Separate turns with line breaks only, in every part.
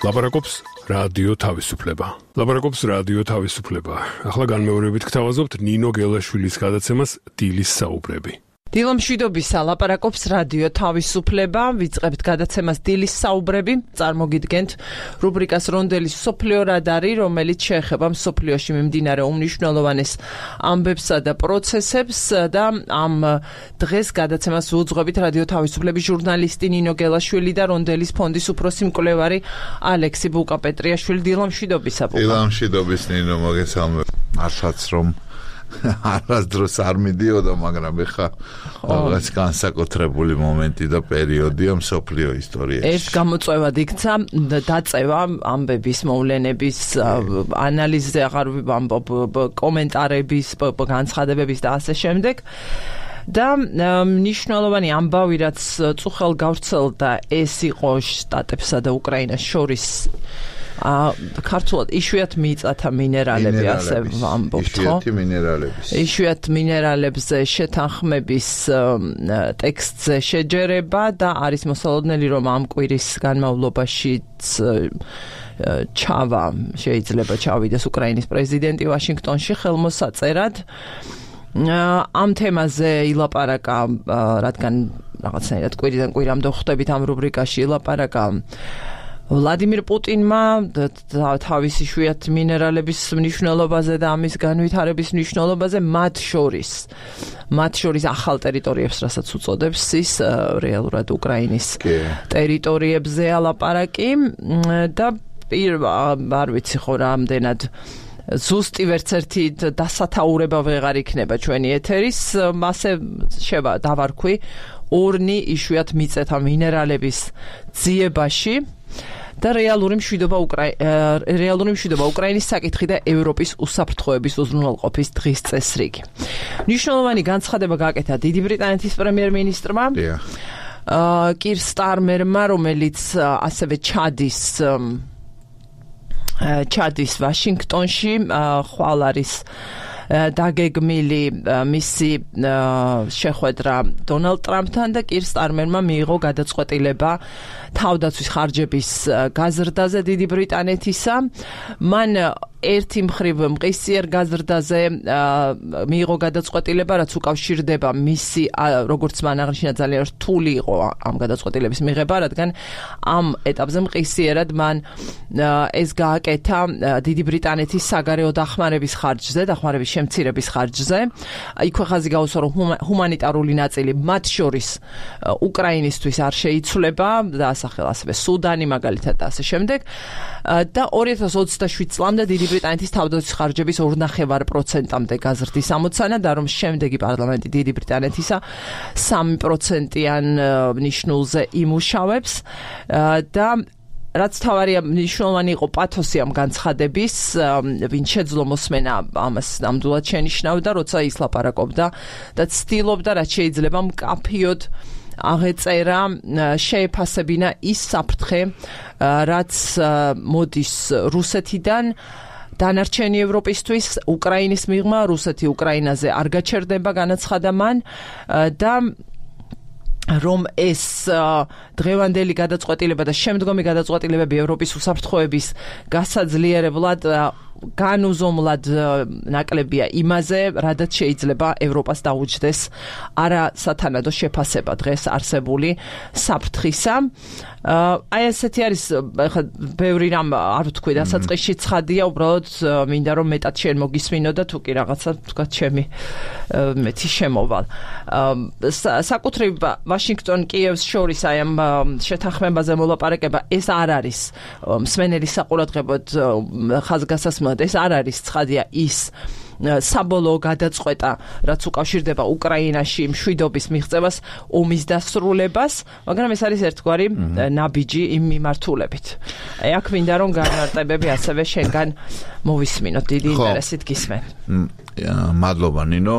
ლაპარაკობს რადიო თავისუფლება. ლაპარაკობს რადიო თავისუფლება. ახლა განმეორებით გთავაზობთ ნინო გელაშვილის გადაცემას დილის საუბრები.
დილომშვიდობისა, ლაპარაკობს რადიო თავისუფლება. ვიწყებთ გადაცემას დილის საუბრები. წარმოგიდგენთ რუბრიკას რონდელის მსოფლიო რადარი, რომელიც შეეხება მსოფლიოში მიმდინარე უმნიშვნელოვანეს ამბებსა და პროცესებს და ამ დღეს გადაცემას უძღვებით რადიო თავისუფლების ჟურნალისტი ნინო გელაშვილი და რონდელის ფონდის უფროსი მკვლევარი ალექსი ბუკა-პეტრიაშვილი. დილომშვიდობისა, ბუკა.
დილომშვიდობის ნინო, მოგესალმებით. მართლაც რომ არასდროს არ მიდიოდა, მაგრამ ეხა რაღაც განსაკუთრებული მომენტი და პერიოდია მსოფლიო ისტორიაში.
ერთ გამოწვევად იქცა დაწევა ამბების, მოვლენების ანალიზზე, აღარ ვამბობ კომენტარების, განცხადებების და ასე შემდეგ. და მნიშვნელოვანი ამბავი, რაც წუხელ გავრცელდა, ეს იყო შტატებსა და უკრაინას შორის ქართულად იშვიათ მიწათა მინერალები, ასე ვამბობთ, ხო? იშვიათ მინერალებზე შეთანხმების ტექსტზე შეჯერება და არის მოსალოდნელი, რომ ამ კვირის განმავლობაშიც შეიძლება ჩავიდეს უკრაინის პრეზიდენტი ვაშინგტონში ხელმოსაწერად. ამ თემაზე ილაპარაკა, რადგან რაღაცნაირად კვირიდან კვირამდე ხვდებით ამ რუბრიკაში, ილაპარაკა ვლადიმირ პუტინმა თავის იშვიათ მინერალების მნიშვნელობაზე და ამის განვითარების მნიშვნელობაზე, მათ შორის ახალ ტერიტორიებს, რასაც უწოდებს ის რეალურად უკრაინის ტერიტორიებზე ალაპარაკი და არ ვიცი ხო რამდენად ზუსტი ვერც ერთი დასათაურება ვეღარ იქნება ჩვენი ეთერის, ასე დავარქვი ორნი იშვიათ მიწათა მინერალების ძიებაში და რეალური მშვიდობა უკრაინის საკითხი და ევროპის უსაფრთხოების უზრუნველყოფის დღის წესრიგი. მნიშვნელოვანი განცხადება გააკეთა დიდი ბრიტანეთის პრემიერ-მინისტრმა კირ სტარმერმა, რომელიც ასევე ჩადის ვაშინგტონში, ხვალ არის დაგეგმილი მისი შეხვედრა დონალდ ტრამპთან და კირ სტარმერმა მიიღო გადაწყვეტილება თავდაცვის ხარჯების გაზრდაზე დიდი ბრიტანეთისა. მან ერთი მხრივ მყისიერ გაზრდაზე მიიღო გადაწყვეტილება, რაც უკავშირდება მისი, როგორც მან აღნიშნა, ძალიან რთული იყო ამ გადაწყვეტილების მიღება, რადგან ამ ეტაპზე მყისიერად მან ეს გააკეთა დიდი ბრიტანეთის საგარეო დახმარების ხარჯზე, დახმარების შემცირების ხარჯზე. იქვე ხაზი გაუსვა, რომ ჰუმანიტარული ნაწილი, მათ შორის უკრაინისთვის არ შეიცვლება და ასახელა ასევე სუდანი, მაგალითად და ასე შემდეგ. და 2027 წლამდე დიდი ბრიტანეთის თავდაცვის ხარჯების 2.5%-მდე გაზრდის ამოცანა და რომ შემდეგი პარლამენტი დიდი ბრიტანეთისა 3%-იან ნიშნულზე იმუშავებს და რაც თავარია მნიშვნელოვანი იყო პათოსი ამ განცხადების, ვინც შეძლო მოსმენა ამას ნამდვილად შენიშნავდა, როცა ის ლაპარაკობდა და ცდილობდა, რაც შეიძლება მკაფიოდ აღეწერა, შეეფასებინა ის საფრთხე, რაც მოდის რუსეთიდან დანარჩენი ევროპისთვის, უკრაინის მიღმა, რუსეთი უკრაინაზე არ გაჩერდება, განაცხადა მან და რომ ეს დღევანდელი გადაწყვეტილება და შემდგომი გადაწყვეტილებები ევროპის უსაფრთხოების გასაძლიერებლად განუზომლად ნაკლებია იმაზე, რადგან შეიძლება ევროპას დაუჯდეს არასათანადო შეფასება დღეს არსებული საფრთხისა. აი ესეთი არის, ხა ბევრი რამ არ ვთქვი, დასაწყისში ცხადია, უბრალოდ მინდა რომ მეტად შენ მოგისმინო და თუ კი რაღაცა თქვა ჩემი მეტი შემოვალ. საკუთრივ ვაშინგტონ კიევს შორის აი ამ შეთანხმებაზე მოლაპარაკება, ეს არ არის მსმენელის საყურადღებოდ ხაზგასასმელად, ეს არ არის ცხადია ის საბოლოო გადაწყვეტა, რაც უკავშირდება უკრაინაში მშვიდობის მიღწევას, ომის დასრულებას, მაგრამ ეს არის ერთგვარი ნაბიჯი იმ მიმართულებით. აქ მინდა რომ განმარტებები ასევე შენგან მოვისმინოთ, დიდი ინტერესით გისმენ.
მადლობა ნინო.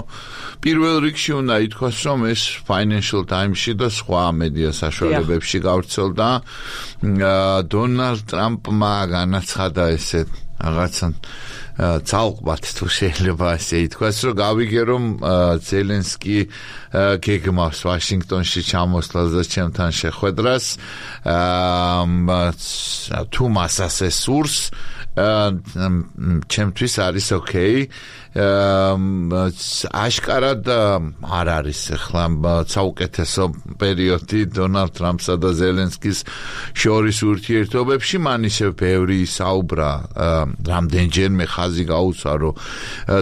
პირველ რიგში უნდა ითქვას, რომ ეს Financial Times-ში და სხვა მედია საშუალებებში გავრცელდა. დონალდ ტრამპმა განაცხადა ესეთ რაღაცა ცალკბათ თუ შეიძლება ასე ითქვას, რომ გავიგე რომ ზელენსკი გეგმავს ვაშინგტონში ჩამოსვლას და ჩემთან შეხვედრას, თუ მას ასე სურს, ჩემთვის არის ოკეი. აშკარად არ არის ახლა საუკეთესო პერიოდი დონალდ ტრამპსა და ზელენსკის შორის ურთიერთობებში, მან ისევ ბევრი საუბრა, რამდენჯერმე ხაზი გაუცვა, რომ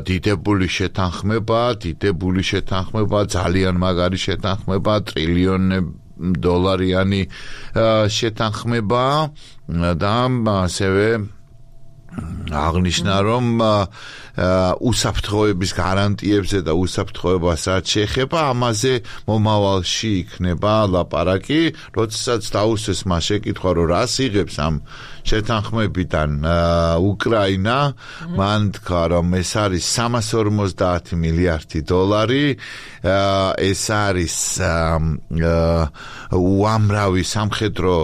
დიდებული შეთანხმება, ძალიან მაგარი შეთანხმება, ტრილიონი შეთანხმება და ასევე აღნიშნა, რომ უსაფრთხოების გარანტიებზე და უსაფრთხოებასაც შეეხება, ამაზე მომავალში იქნება ლაპარაკი, როდესაც დაუსვეს მას შეკითხვა, რომ რას იღებს ამ შეთანხმებიდან უკრაინა, მან თქვა, რომ ეს არის 350 მილიარდი დოლარი, ეს არის უამრავი სამხედრო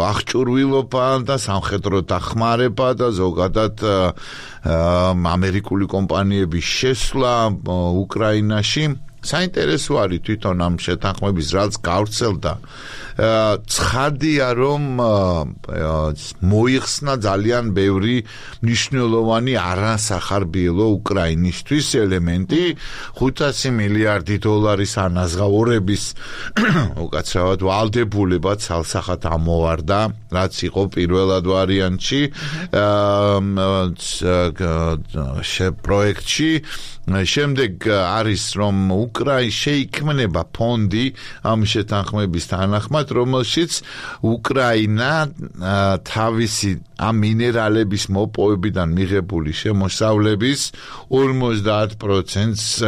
აღჭურვილობა და სამხედრო დახმარება და ზოგადად ამერიკული კომპანიების შესვლა უკრაინაში. საინტერესო არის თვითონ ამ შეთანხმების რაც გავრცელდა. ცხადია, რომ მოიხსნა ძალიან ბევრი მნიშვნელოვანი არასახარბიელო უკრაინისთვის ელემენტი, 500 მილიარდი დოლარის ანაზღაურების უკაცრავად ვალდებულება ცალსახად ამოვარდა, რაც იყო პირველად ვარიანტში პროექტში. შემდეგ არის, რომ შეიქმნება ფონდი ამ შეთანხმების თანახმად, რომელშიც უკრაინა თავისი ამ მინერალების მოპოვებიდან მიღებული შემოსავლების 50%-ს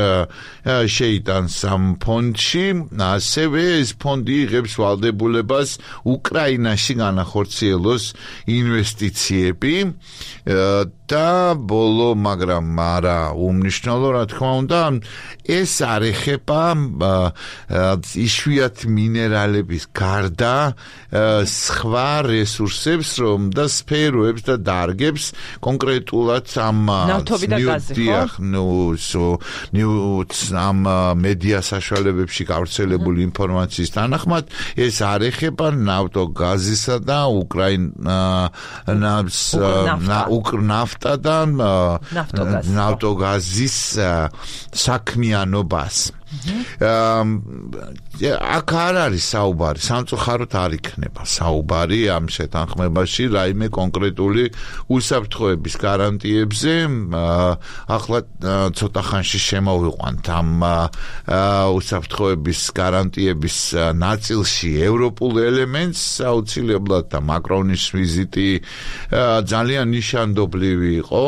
შეიტანს ამ ფონდში. ასევე ეს ფონდი იღებს ვალდებულებას უკრაინაში განახორციელოს ინვესტიციები და ბოლო, მაგრამ არა უმნიშვნელო, რა თქმა უნდა, ეს არ ეხება იშვიათ მინერალების გარდა სხვა რესურსებს, რომ და სფეროებს და დარგებს, კონკრეტულად ამ
ნავთობი და გაზი,
ამ მედია საშუალებებში გავრცელებული ინფორმაციის თანახმად, ეს არ ეხება ნავთო-გაზისა და ნაფტა და ნავთო-გაზის საქმიანობას. აქ არ არის საუბარი, სამწუხაროდ არ იქნება საუბარი ამ შეთანხმებაში რაიმე კონკრეტული უსაფრთხოების გარანტიებზე. ახლა ცოტა ხანში შემოვიყვანთ ამ უსაფრთხოების გარანტიების ნაწილში ევროპულ ელემენტს, აუცილებლად და მაკრონის ვიზიტი ძალიან ნიშანდობლივი იყო.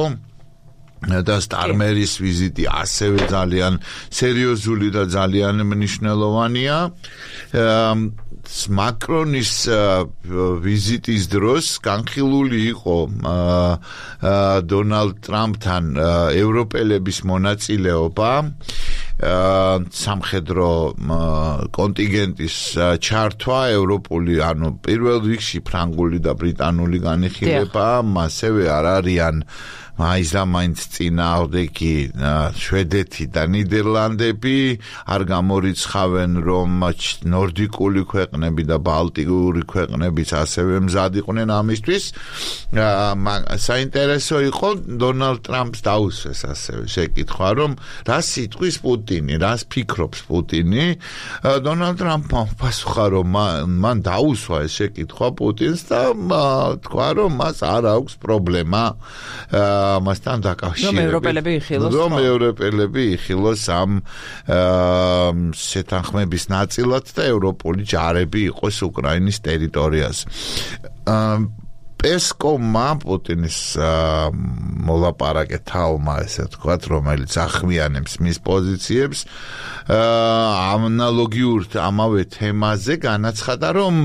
და სტარმერის ვიზიტი ასევე ძალიან სერიოზული და ძალიან მნიშვნელოვანია. მაკრონის ვიზიტის დროს განხილული იყო დონალდ ტრამპთან ევროპელების მონაწილეობა სამხედრო კონტინგენტის ჩართვა ევროპული, ანუ პირველ რიგში ფრანგული და ბრიტანული განიხილება, ასევე არ არიან მაინც წინააღმდეგი შვედეთი და ნიდერლანდები, არ გამორიცხავენ, რომ ნორდიკული ქვეყნები და ბალტიკური ქვეყნებიც ასევე მზად იყვნენ ამისთვის. საინტერესო იყო დონალდ ტრამპს დაუსვეს ასევე შეკითხვა, რომ რას იტყვის პუტინი, რას ფიქრობს პუტინი. დონალდ ტრამპმა პასუხა, რომ მან დაუსვა ეს შეკითხვა პუტინს და თქვა, რომ მას არ აქვს პრობლემა მასთან დაკავშირებით. რომ ევროპელები იხილოს ამ შეთანხმების ნაწილად და ევროპული ჯარები იყოს უკრაინის ტერიტორიაზე. პესკოვმა პუტინის მოლაპარაკე თავმა, ესე ვთქვათ, რომელიც ახმიანებს მის პოზიციებს, ანალოგიურ ამავე თემაზე განაცხადა, რომ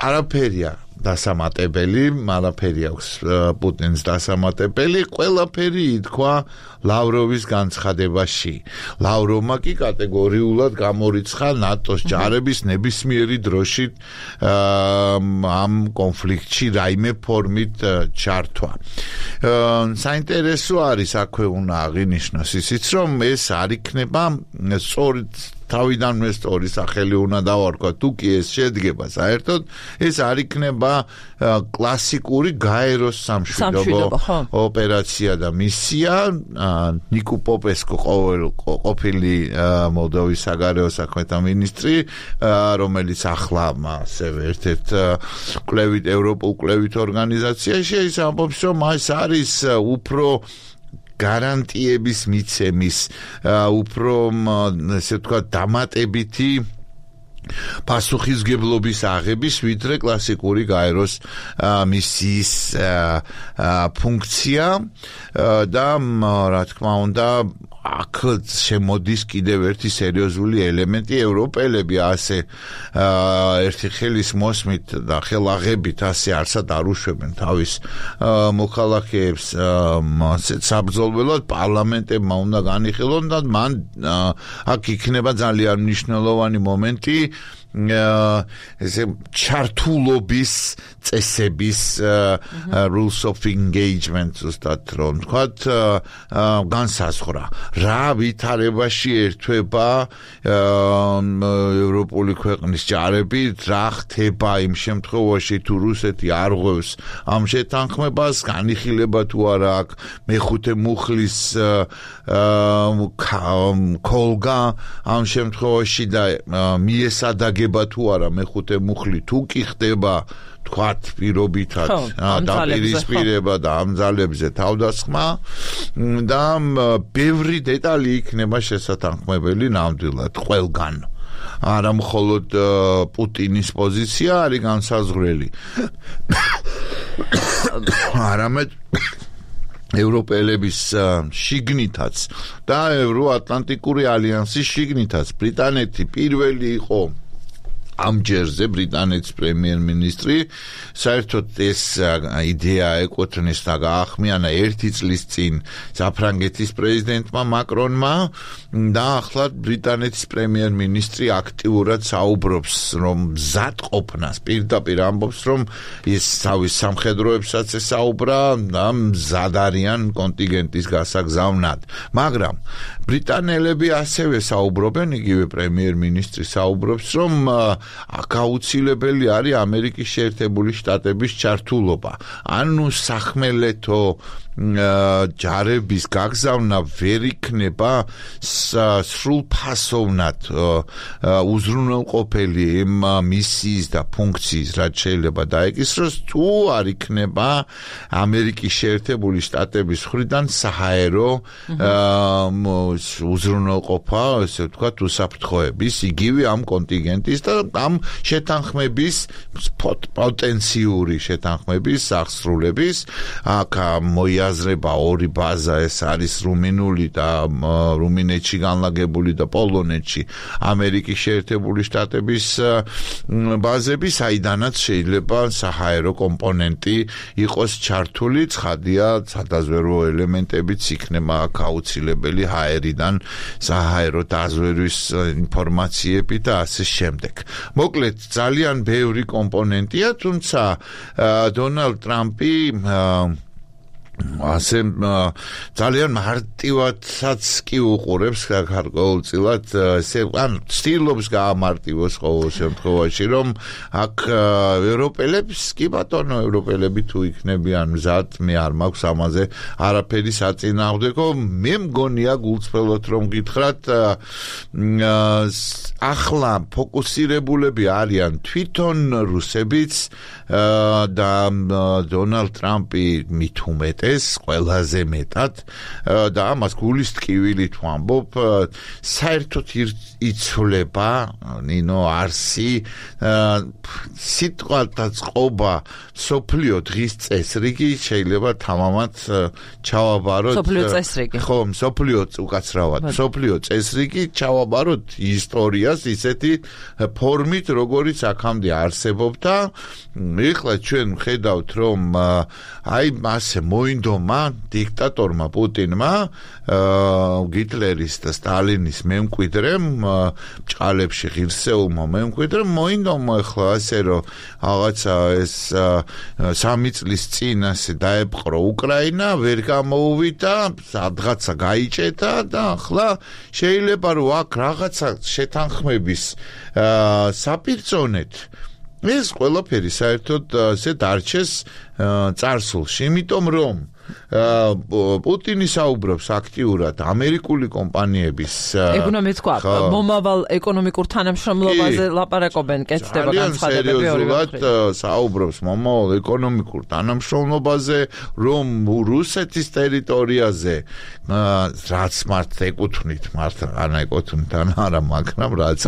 არაფერია დასამატებელი, არაფერი აქვს პუტინს დასამატებელი, ყველაფერი ითქვა ლავროვის განცხადებაში. ლავროვმა კი კატეგორიულად გამორიცხა ნატოს ჯარების ნებისმიერი დროში ამ კონფლიქტში რაიმე ფორმით ჩართვა. საინტერესო არის აქვე უნდა აღინიშნოს ისიც, რომ ეს არ იქნება სწორედ თავიდანვე სწორი სახელი უნდა დავარქვა, თუ კი ეს შედგება საერთოდ, ეს არ იქნება კლასიკური გაეროს სამშვიდობო ოპერაცია და მისია. ნიკო პოპესკო ყოფილი მოლდოვის საგარეო საქმეთა მინისტრი, რომელიც ახლა ასევე ერთ-ერთ ევროპულ კვლევით ორგანიზაციაში, ის ამბობს, რომ ეს არის უფრო გარანტიების მიცემის, უფრო ესე ვთქვათ, დამატებითი პასუხისგებლობის აღების, ვიდრე კლასიკური გაეროს მისიის ფუნქცია და რა თქმა უნდა აქ შემოდის კიდევ ერთი სერიოზული ელემენტი. ევროპელები ასე ერთი ხელის მოსმით და ხელაღებით ასე არსად არ უშვებენ თავის მოქალაქეებს საბრძოლველად. პარლამენტებმა უნდა განიხილონ და მან აქ იქნება ძალიან მნიშვნელოვანი მომენტი ესე ჩართულობის წესების rules of engagement ზუსტად რომ თქვათ განსაზღვრა. რა ვითარებაში ერთვება ევროპული ქვეყნის ჯარები, რა ხდება იმ შემთხვევაში თუ რუსეთი არ ღვევს ამ შეთანხმებას, განიხილება თუ არა აქ მეხუთე მუხლის ქოლგა ამ შემთხვევაში და მიესადაგება თუ არა მეხუთე მუხლი თუ კი ხდება თქვათ პირობითად დაპირისპირება და ამ ძალებზე თავდასხმა და ბევრი დეტალი იქნება შესათანხმებელი ნამდვილად ყველგან. არა მხოლოდ პუტინის პოზიცია არის განსაზღვრელი. არამედ ევროპელების შიგნითაც და ევროატლანტიკური ალიანსის შიგნითაც. ბრიტანეთი პირველი იყო ამ ჯერზე ბრიტანეთის პრემიერ-მინისტრი, საერთოდ ეს იდეა ეკუთვნის და გაახმიანა 1 წლის წინ საფრანგეთის პრეზიდენტმა მაკრონმა და ახლა ბრიტანეთის პრემიერ-მინისტრი აქტიურად საუბრობს, რომ მზად ყოფნას, პირდაპირ ამბობს, რომ ის თავის სამხედროებსაც ესაუბრა და მზად არიან კონტინგენტის გასაგზავნად. მაგრამ ბრიტანელები ასევე საუბრობენ, იგივე პრემიერ-მინისტრი საუბრობს, რომ აქ აუცილებელი არის ამერიკის შეერთებული შტატების ჩართულობა. ანუ სახმელეთო ჯარების გაგზავნა ვერ იქნება სრულფასოვნად უზრუნველყოფელი იმ მისიის და ფუნქციის, რაც შეიძლება დაეკისროს, თუ არ იქნება ამერიკის შეერთებული შტატების მხრიდან საჰაერო უზრუნველყოფა, ესე ვთქვათ, უსაფრთხოების, იგივე ამ კონტინგენტის და ამ შეთანხმების პოტენციური შეთანხმების აღსრულების. აქ მოიაზრება ორი ბაზა, ეს არის რუმინული და რუმინეთში განლაგებული და პოლონეთში ამერიკის შეერთებული შტატების ბაზები, საიდანაც შეიძლება საჰაერო კომპონენტი იყოს ჩართული. ცხადია, სადაზვერვო ელემენტებიც იქნება აქ აუცილებელი ჰაერიდან საჰაერო დაზვერვის ინფორმაციები და ასე შემდეგ. მოკლედ, ძალიან ბევრი კომპონენტია, თუმცა დონალდ ტრამპი ასე ძალიან მარტივადაც კი უყურებს გარკვეულწილად, ესე ან ცდილობს გაამარტივოს ყოველ შემთხვევაში, რომ აქ ევროპელებს, კი ბატონო, ევროპელები თუ იქნებიან მზად, მე არ მაქვს ამაზე არაფერი საწინააღმდეგო. მე მგონია გულწრფელად რომ გითხრათ, ახლა ფოკუსირებულები არიან თვითონ რუსებიც და დონალდ ტრამპი მით უმეტეს ეს ყველაზე მეტად და ამას გულის ტკივილით ვამბობ საერთოდ იცვლება ნინო არსი სიტყვათა წყობა სოფლიო დღის წესრიგი შეიძლება თამამად ჩავაბაროთ
სოფლიო წესრიგი
ხო სოფლიო უკაცრავად სოფლიო წესრიგი ჩავაბაროთ ისტორიას ისეთი ფორმით როგორიც აქამდე არსებობდა ეხლა ჩვენ ხედავთ რომ აი მასე მოინდომა დიქტატორმა პუტინმა გიტლერის და სტალინის მემკვიდრემ ჭალებში ღირსეულმა მემკვიდრემ მოინდომა ეხლა ასე რომ რაღაცა ეს 3 წლის წინ ასე დაეპყრო უკრაინა ვერ გამოუვიდა სადღაცა გაიჭედა და ახლა შეიძლება რომ აქ რაღაცა შეთანხმების საპირწონეთ ეს ყველაფერი საერთოდ ასე დარჩეს წარსულში იმიტომ რომ პუტინი საუბრობს აქტიურად ამერიკული კომპანიების
ეგუნა მეთქვა მომავალ ეკონომიკურ თანამშრომლობაზე ლაპარაკობენ კეთდება განცხადებები
სერიოზულად საუბრობს მომავალ ეკონომიკურ თანამშრომლობაზე რომ რუსეთის ტერიტორიაზე რაც მართ ეკუთვნით ან ეკუთვნით ან არა მაგრამ რაც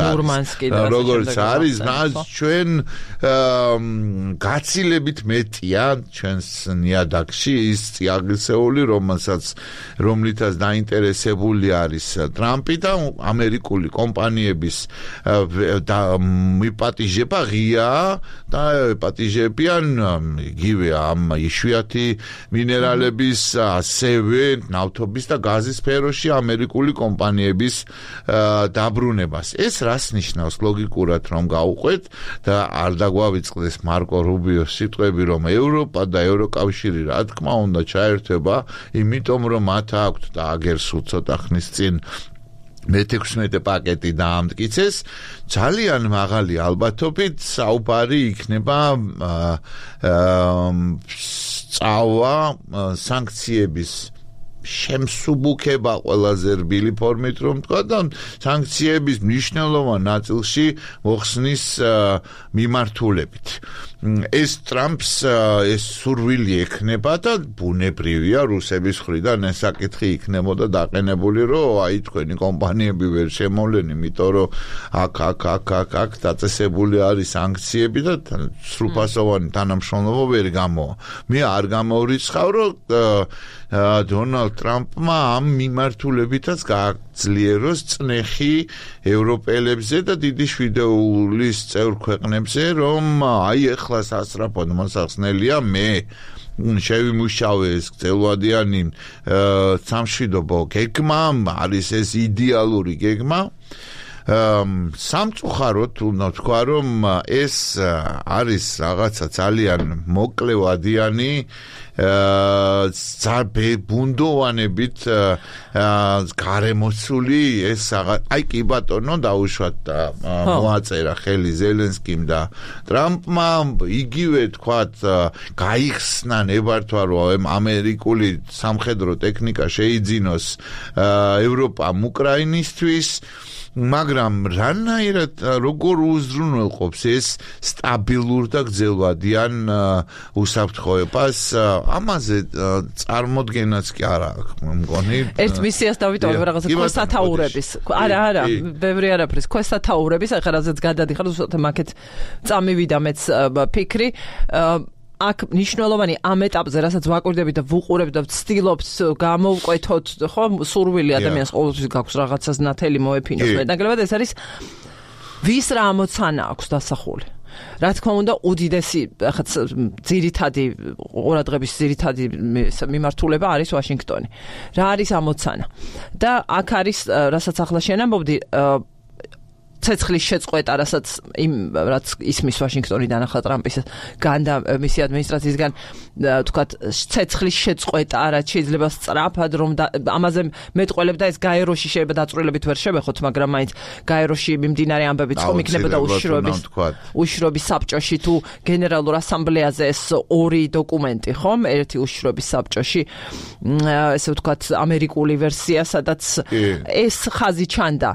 როგორც არის რაც ჩვენ გაცილებით მეტია ჩვენს ნიადაგში ის აგრესიული რომლითაც დაინტერესებული არის ტრამპი და ამერიკული კომპანიების მიპატიჟება ღია და პატიჟებიან იგივე ამ იშვიათი მინერალების ასევე ნავთობის და გაზის სფეროში ამერიკული კომპანიების დაბრუნებას ეს რას ნიშნავს ლოგიკურად რომ გავუყვეთ და არ დაგვავიწყდეს მარკო რუბიოს სიტყვები რომ ევროპა და ევროკავშირი რა თქმა უნდა ჩაერთვება იმიტომ რომ მათ აქვთ და აგერ სულ ცოტა ხნის წინ მე-16 პაკეტი დაამტკიცეს ძალიან მაღალი ალბათობით საუბარი იქნება სწავლა სანქციების შემსუბუქება ყველაზე რბილი ფორმით რომ თქვა და სანქციების მნიშვნელოვან ნაწილში მოხსნის მიმართულებით ეს ტრამპს ეს სურვილი ექნება და ბუნებრივია რუსების მხრიდან ეს საკითხი იქნებოდა დაყენებული რომ აი თქვენი კომპანიები ვერ შემოვლენ იმიტომ რომ აქ დაწესებული არის სანქციები და სრულფასოვანი თანამშრომლობა ვერ გამოვა მე არ გამოვრიცხავ რომ დონალდ ტრამპმა ამ მიმართულებითაც გააძლიეროს წნეხი ევროპელებზე და დიდი შვიდეულის წევრ ქვეყნებზე რომ აი ეხლა სასწრაფოდ მოსახსნელია მე შევიმუშავე ეს გრძელვადიანი სამშვიდობო გეგმა არის ეს იდეალური გეგმა სამწუხაროდ უნდა თქვა რომ ეს არის რაღაცა ძალიან მოკლევადიანი ბუნდოვანებით გარემოცული ეს აი კი ბატონო დაუშვათ და მოაწერა ხელი ზელენსკიმ და ტრამპმა იგივე თქვათ გაიხსნა ნებართვა რომ ამერიკული სამხედრო ტექნიკა შეიძინოს ევროპამ უკრაინისთვის მაგრამ რანაირად როგორ უზრუნველყოფს ეს სტაბილურ და გრძელვადიან უსაფრთხოებას ამაზე წარმოდგენაც კი არა აქვს მგონი
ერთ მისიას დავიტოვებ რაღაცა ქვესათაურების არა ბევრი არაფრის ქვესათაურების ახლა რაზეც გადადიხარ უბრალოდ მაკეთ წამივიდა მეც ფიქრი აქ მნიშვნელოვანი ამ ეტაპზე რასაც ვაკვირდებით და ვუყურებთ და ვცდილობთ გამოვკვეთოთ ხო სურვილი ადამიანს ყოველთვის გაქვს რაღაცას ნათელი მოეფინოს მეტნაკლებად ეს არის ვის რა ამოცანა აქვს დასახული რა თქმა უნდა უდიდესი ახაც ძირითადი ყურადღების ძირითადი მიმართულება არის ვაშინგტონი რა არის ამოცანა და აქ არის რასაც ახლა შენ ამბობდი ცეცხლის შეწყვეტა, რასაც რაც ისმის ვაშინგტონიდან ახლა ტრამპის განდა მისი ადმინისტრაციისგან თქვათ ცეცხლის შეწყვეტა, რაც შეიძლება სწრაფად რომ ამაზე მეტყველებდა ეს გაეროში შეიძლება დაწვრილებით ვერ შევეხოთ, მაგრამ მაინც გაეროში მიმდინარე ამბებიც ხომ იქნებოდა უშიშროების საბჭოში თუ გენერალურ ასამბლეაზე ეს ორი დოკუმენტი, ხომ? ერთი უშიშროების საბჭოში, ესე ვთქვათ, ამერიკული ვერსია, სადაც ეს ხაზი ჩანდა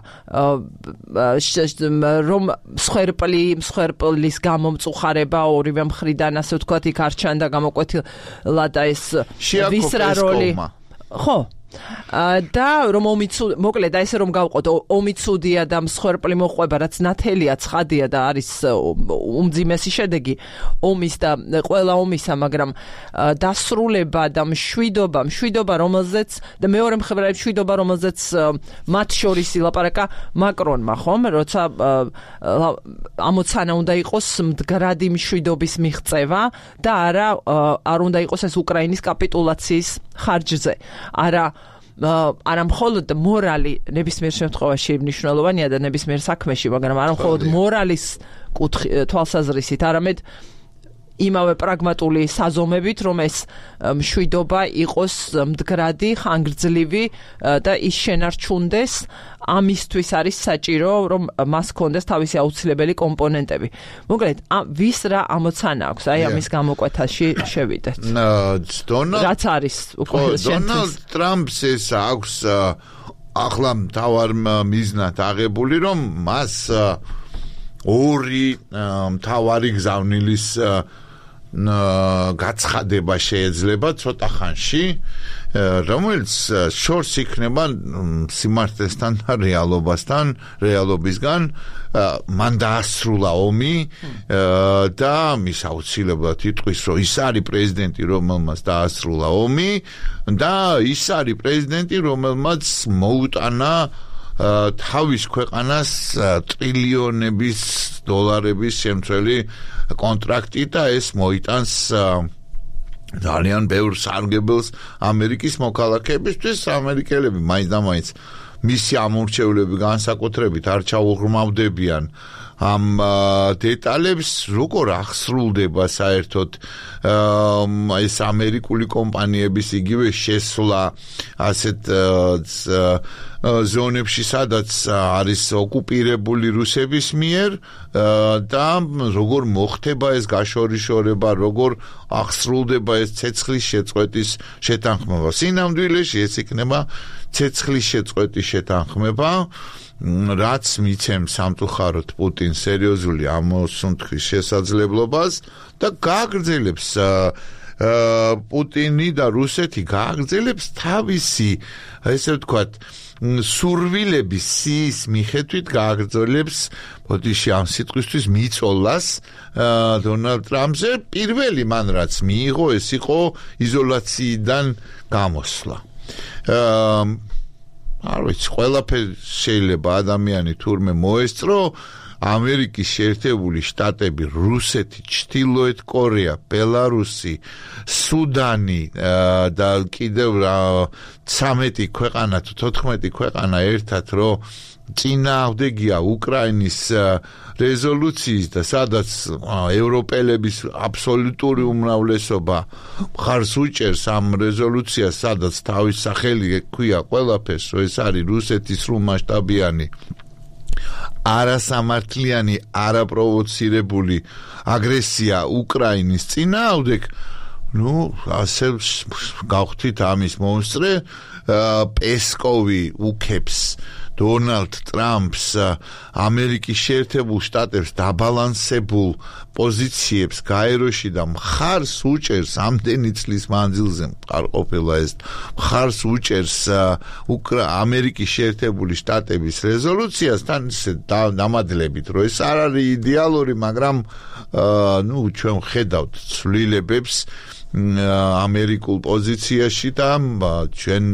რომ მსხვერპლის გამომწუხარება ორივე მხრიდან ასე ვთქვათ იქ არ ჩანდა გამოკვეთილა და ეს ვის რა როლი ხო და რომ მოკლედ და ესე რომ გავყოთ ომი ცუდია და მსხვერპლი მოყვება რაც ნათელია ცხადია და არის უმძიმესი შედეგი ომის და ყველა ომისა მაგრამ დასრულება და მშვიდობა რომელზეც და მეორე მხრივ მშვიდობა რომელზეც მათ შორის ილაპარაკა მაკრონმა ხომ როცა ამოცანა უნდა იყოს მდგრადი მშვიდობის მიღწევა და არ უნდა იყოს ეს უკრაინის კაპიტულაციის ხარჯზე არა მხოლოდ მორალი ნებისმიერ შემთხვევაში მნიშვნელოვანია და ნებისმიერ საქმეში, მაგრამ არა მხოლოდ მორალის თვალსაზრისით, არამედ იმავე პრაგმატული საზომებით, რომ ეს მშვიდობა იყოს მდგრადი, ხანგრძლივი და ის შენარჩუნდეს, ამისთვის არის საჭირო, რომ მას ქონდეს თავისი აუცილებელი კომპონენტები. მოკლედ, ვის რა ამოცანა აქვს, აი ამის გამოკვეთაში შევიდეთ. რაც არის უკვე
დონალდ ტრამპს ეს აქვს ახლა მთავარ მიზნად აღებული, რომ მას ორი მთავარი გზავნილის გაცხადება შეიძლება ცოტა ხანში, რომელიც შორს იქნება სიმართლესთან და რეალობისგან, მან დაასრულა ომი და მის აუცილებლად იტყვის, რომ ის არის პრეზიდენტი, რომელმაც დაასრულა ომი და ის არის პრეზიდენტი, რომელმაც მოუტანა თავის ქვეყანას ტრილიონების დოლარების შემცველი კონტრაქტი და ეს მოიტანს ძალიან ბევრ სარგებელს ამერიკის მოქალაქეებისთვის. ამერიკელები მაინც მისი ამორჩევლები განსაკუთრებით არ ჩაუღრმავდებიან ამ დეტალებს, როგორ ახსრულდება საერთოდ ეს ამერიკული კომპანიების იგივე შესვლა ასეთ ზონებში, სადაც არის ოკუპირებული რუსების მიერ და როგორ მოხდება ეს გაშორიშორება, როგორ ახსრულდება ეს ცეცხლის შეწყვეტის შეთანხმება. სინამდვილეში ეს იქნება ცეცხლის შეწყვეტის შეთანხმება, რაც მიცემს სამწუხაროდ პუტინს სერიოზული ამოსუნთქვის შესაძლებლობას და გააგრძელებს პუტინი და რუსეთი გააგრძელებს თავისი, ესე ვთქვათ, სურვილების სიის მიხედვით გააგრძელებს ბოდიში ამ სიტყვისთვის მიწოლას დონალდ ტრამპზე. პირველი მან რაც მიიღო, ეს იყო იზოლაციიდან გამოსვლა. არ ვიცი, ყველაფერი შეიძლება ადამიანი თურმე მოესწრო. ამერიკის შეერთებული შტატები, რუსეთი, ჩრდილოეთ კორეა, ბელარუსი, სუდანი და კიდევ 13 ქვეყანა თუ 14 ქვეყანა ერთად რომ წინააღმდეგია უკრაინის რეზოლუციის და სადაც ევროპელების აბსოლუტური უმრავლესობა მხარს უჭერს ამ რეზოლუციას, სადაც თავის სახელი ექვია ყველაფერს, რომ ეს არის რუსეთის სრულმასშტაბიანი არასამართლიანი, არაპროვოცირებული აგრესია უკრაინის წინააღმდეგ, ასე გავხდით ამის მომსწრე. პესკოვი უქებს დონალდ ტრამპს ამერიკის შეერთებულ შტატებს დაბალანსებულ პოზიციებს გაეროში და მხარს უჭერს ამდენი წლის მანძილზე მყარყოფილა ეს მხარს უჭერს ამერიკის შეერთებული შტატების რეზოლუციასთან დამადლებით, რომ ეს არ არის იდეალური, მაგრამ ჩვენ ვხედავთ ცვლილებებს ამერიკულ პოზიციაში და ჩვენ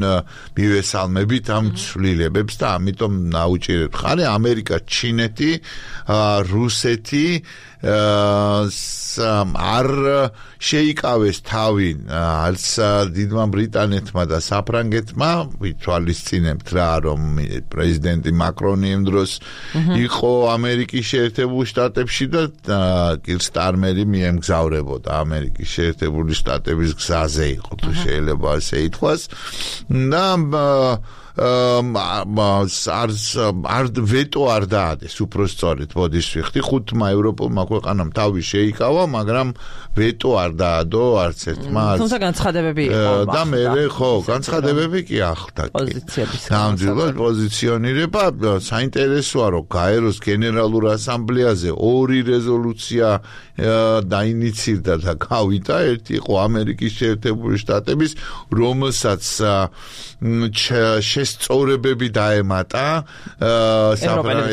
მივესალმებით ამ ცვლილებებს და ამიტომ ნაუჭირებთ ხარ ამერიკა, ჩინეთი, რუსეთი არ შეიკავეს თავი არც დიდმა ბრიტანეთმა და საფრანგეთმა. ვითვალისწინებთ რა, რომ პრეზიდენტი მაკრონი იმ დროს იყო ამერიკის შეერთებულ შტატებში და კირსტარმერი მიემგზავრებოდა ამერიკის შეერთებული შტატების გზაზე იყო, თუ შეიძლება ასე ითქვას. და არ ვეტო არ დაადეს უпростоრეთ ბოდის ვიხდი ხუთმა ევროპულმა ქვეყანამ თავი შეიკავა მაგრამ ვეტო არ დაადო არც ერთმა
თუმცა განცხადებები იყო
და მე ხო განცხადებები კი ახლდა
პოზიციების
ნამდვილად პოზიციონირება საინტერესოა რომ გაეროს გენერალურ ასამბლეაზე 2 რეზოლუცია დაინიცირდა და გავიდა ერთი იყო ამერიკის შეერთებული შტატების რომელსაც შესწორებები დაემატა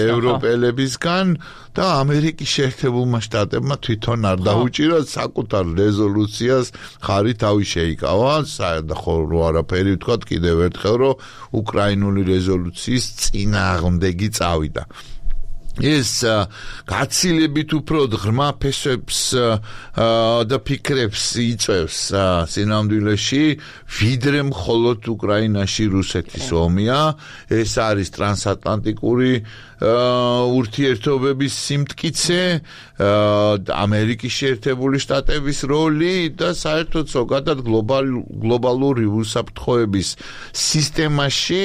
ევროპელებისგან და ამერიკის შეერთებულმა შტატებმა თვითონ არ დაუჭირა საკუთარ რეზოლუციას ხარი თავი შეიკავა საერთო არაფერი ვთქვა კიდევ ერთხელ რომ უკრაინული რეზოლუციის წინააღმდეგი წავიდა ეს გაცილებით უფრო ღრმა ფესვებს და ფიქრებს იწევს სინამდვილეში ვიდრე მხოლოდ უკრაინაში რუსეთის ომია ეს არის ტრანსატლანტიკური ურთიერთობების სიმტკიცე ამერიკის შეერთებული შტატების როლი და საერთოდ ზოგადად გლობალური უსაფრთხოების სისტემაში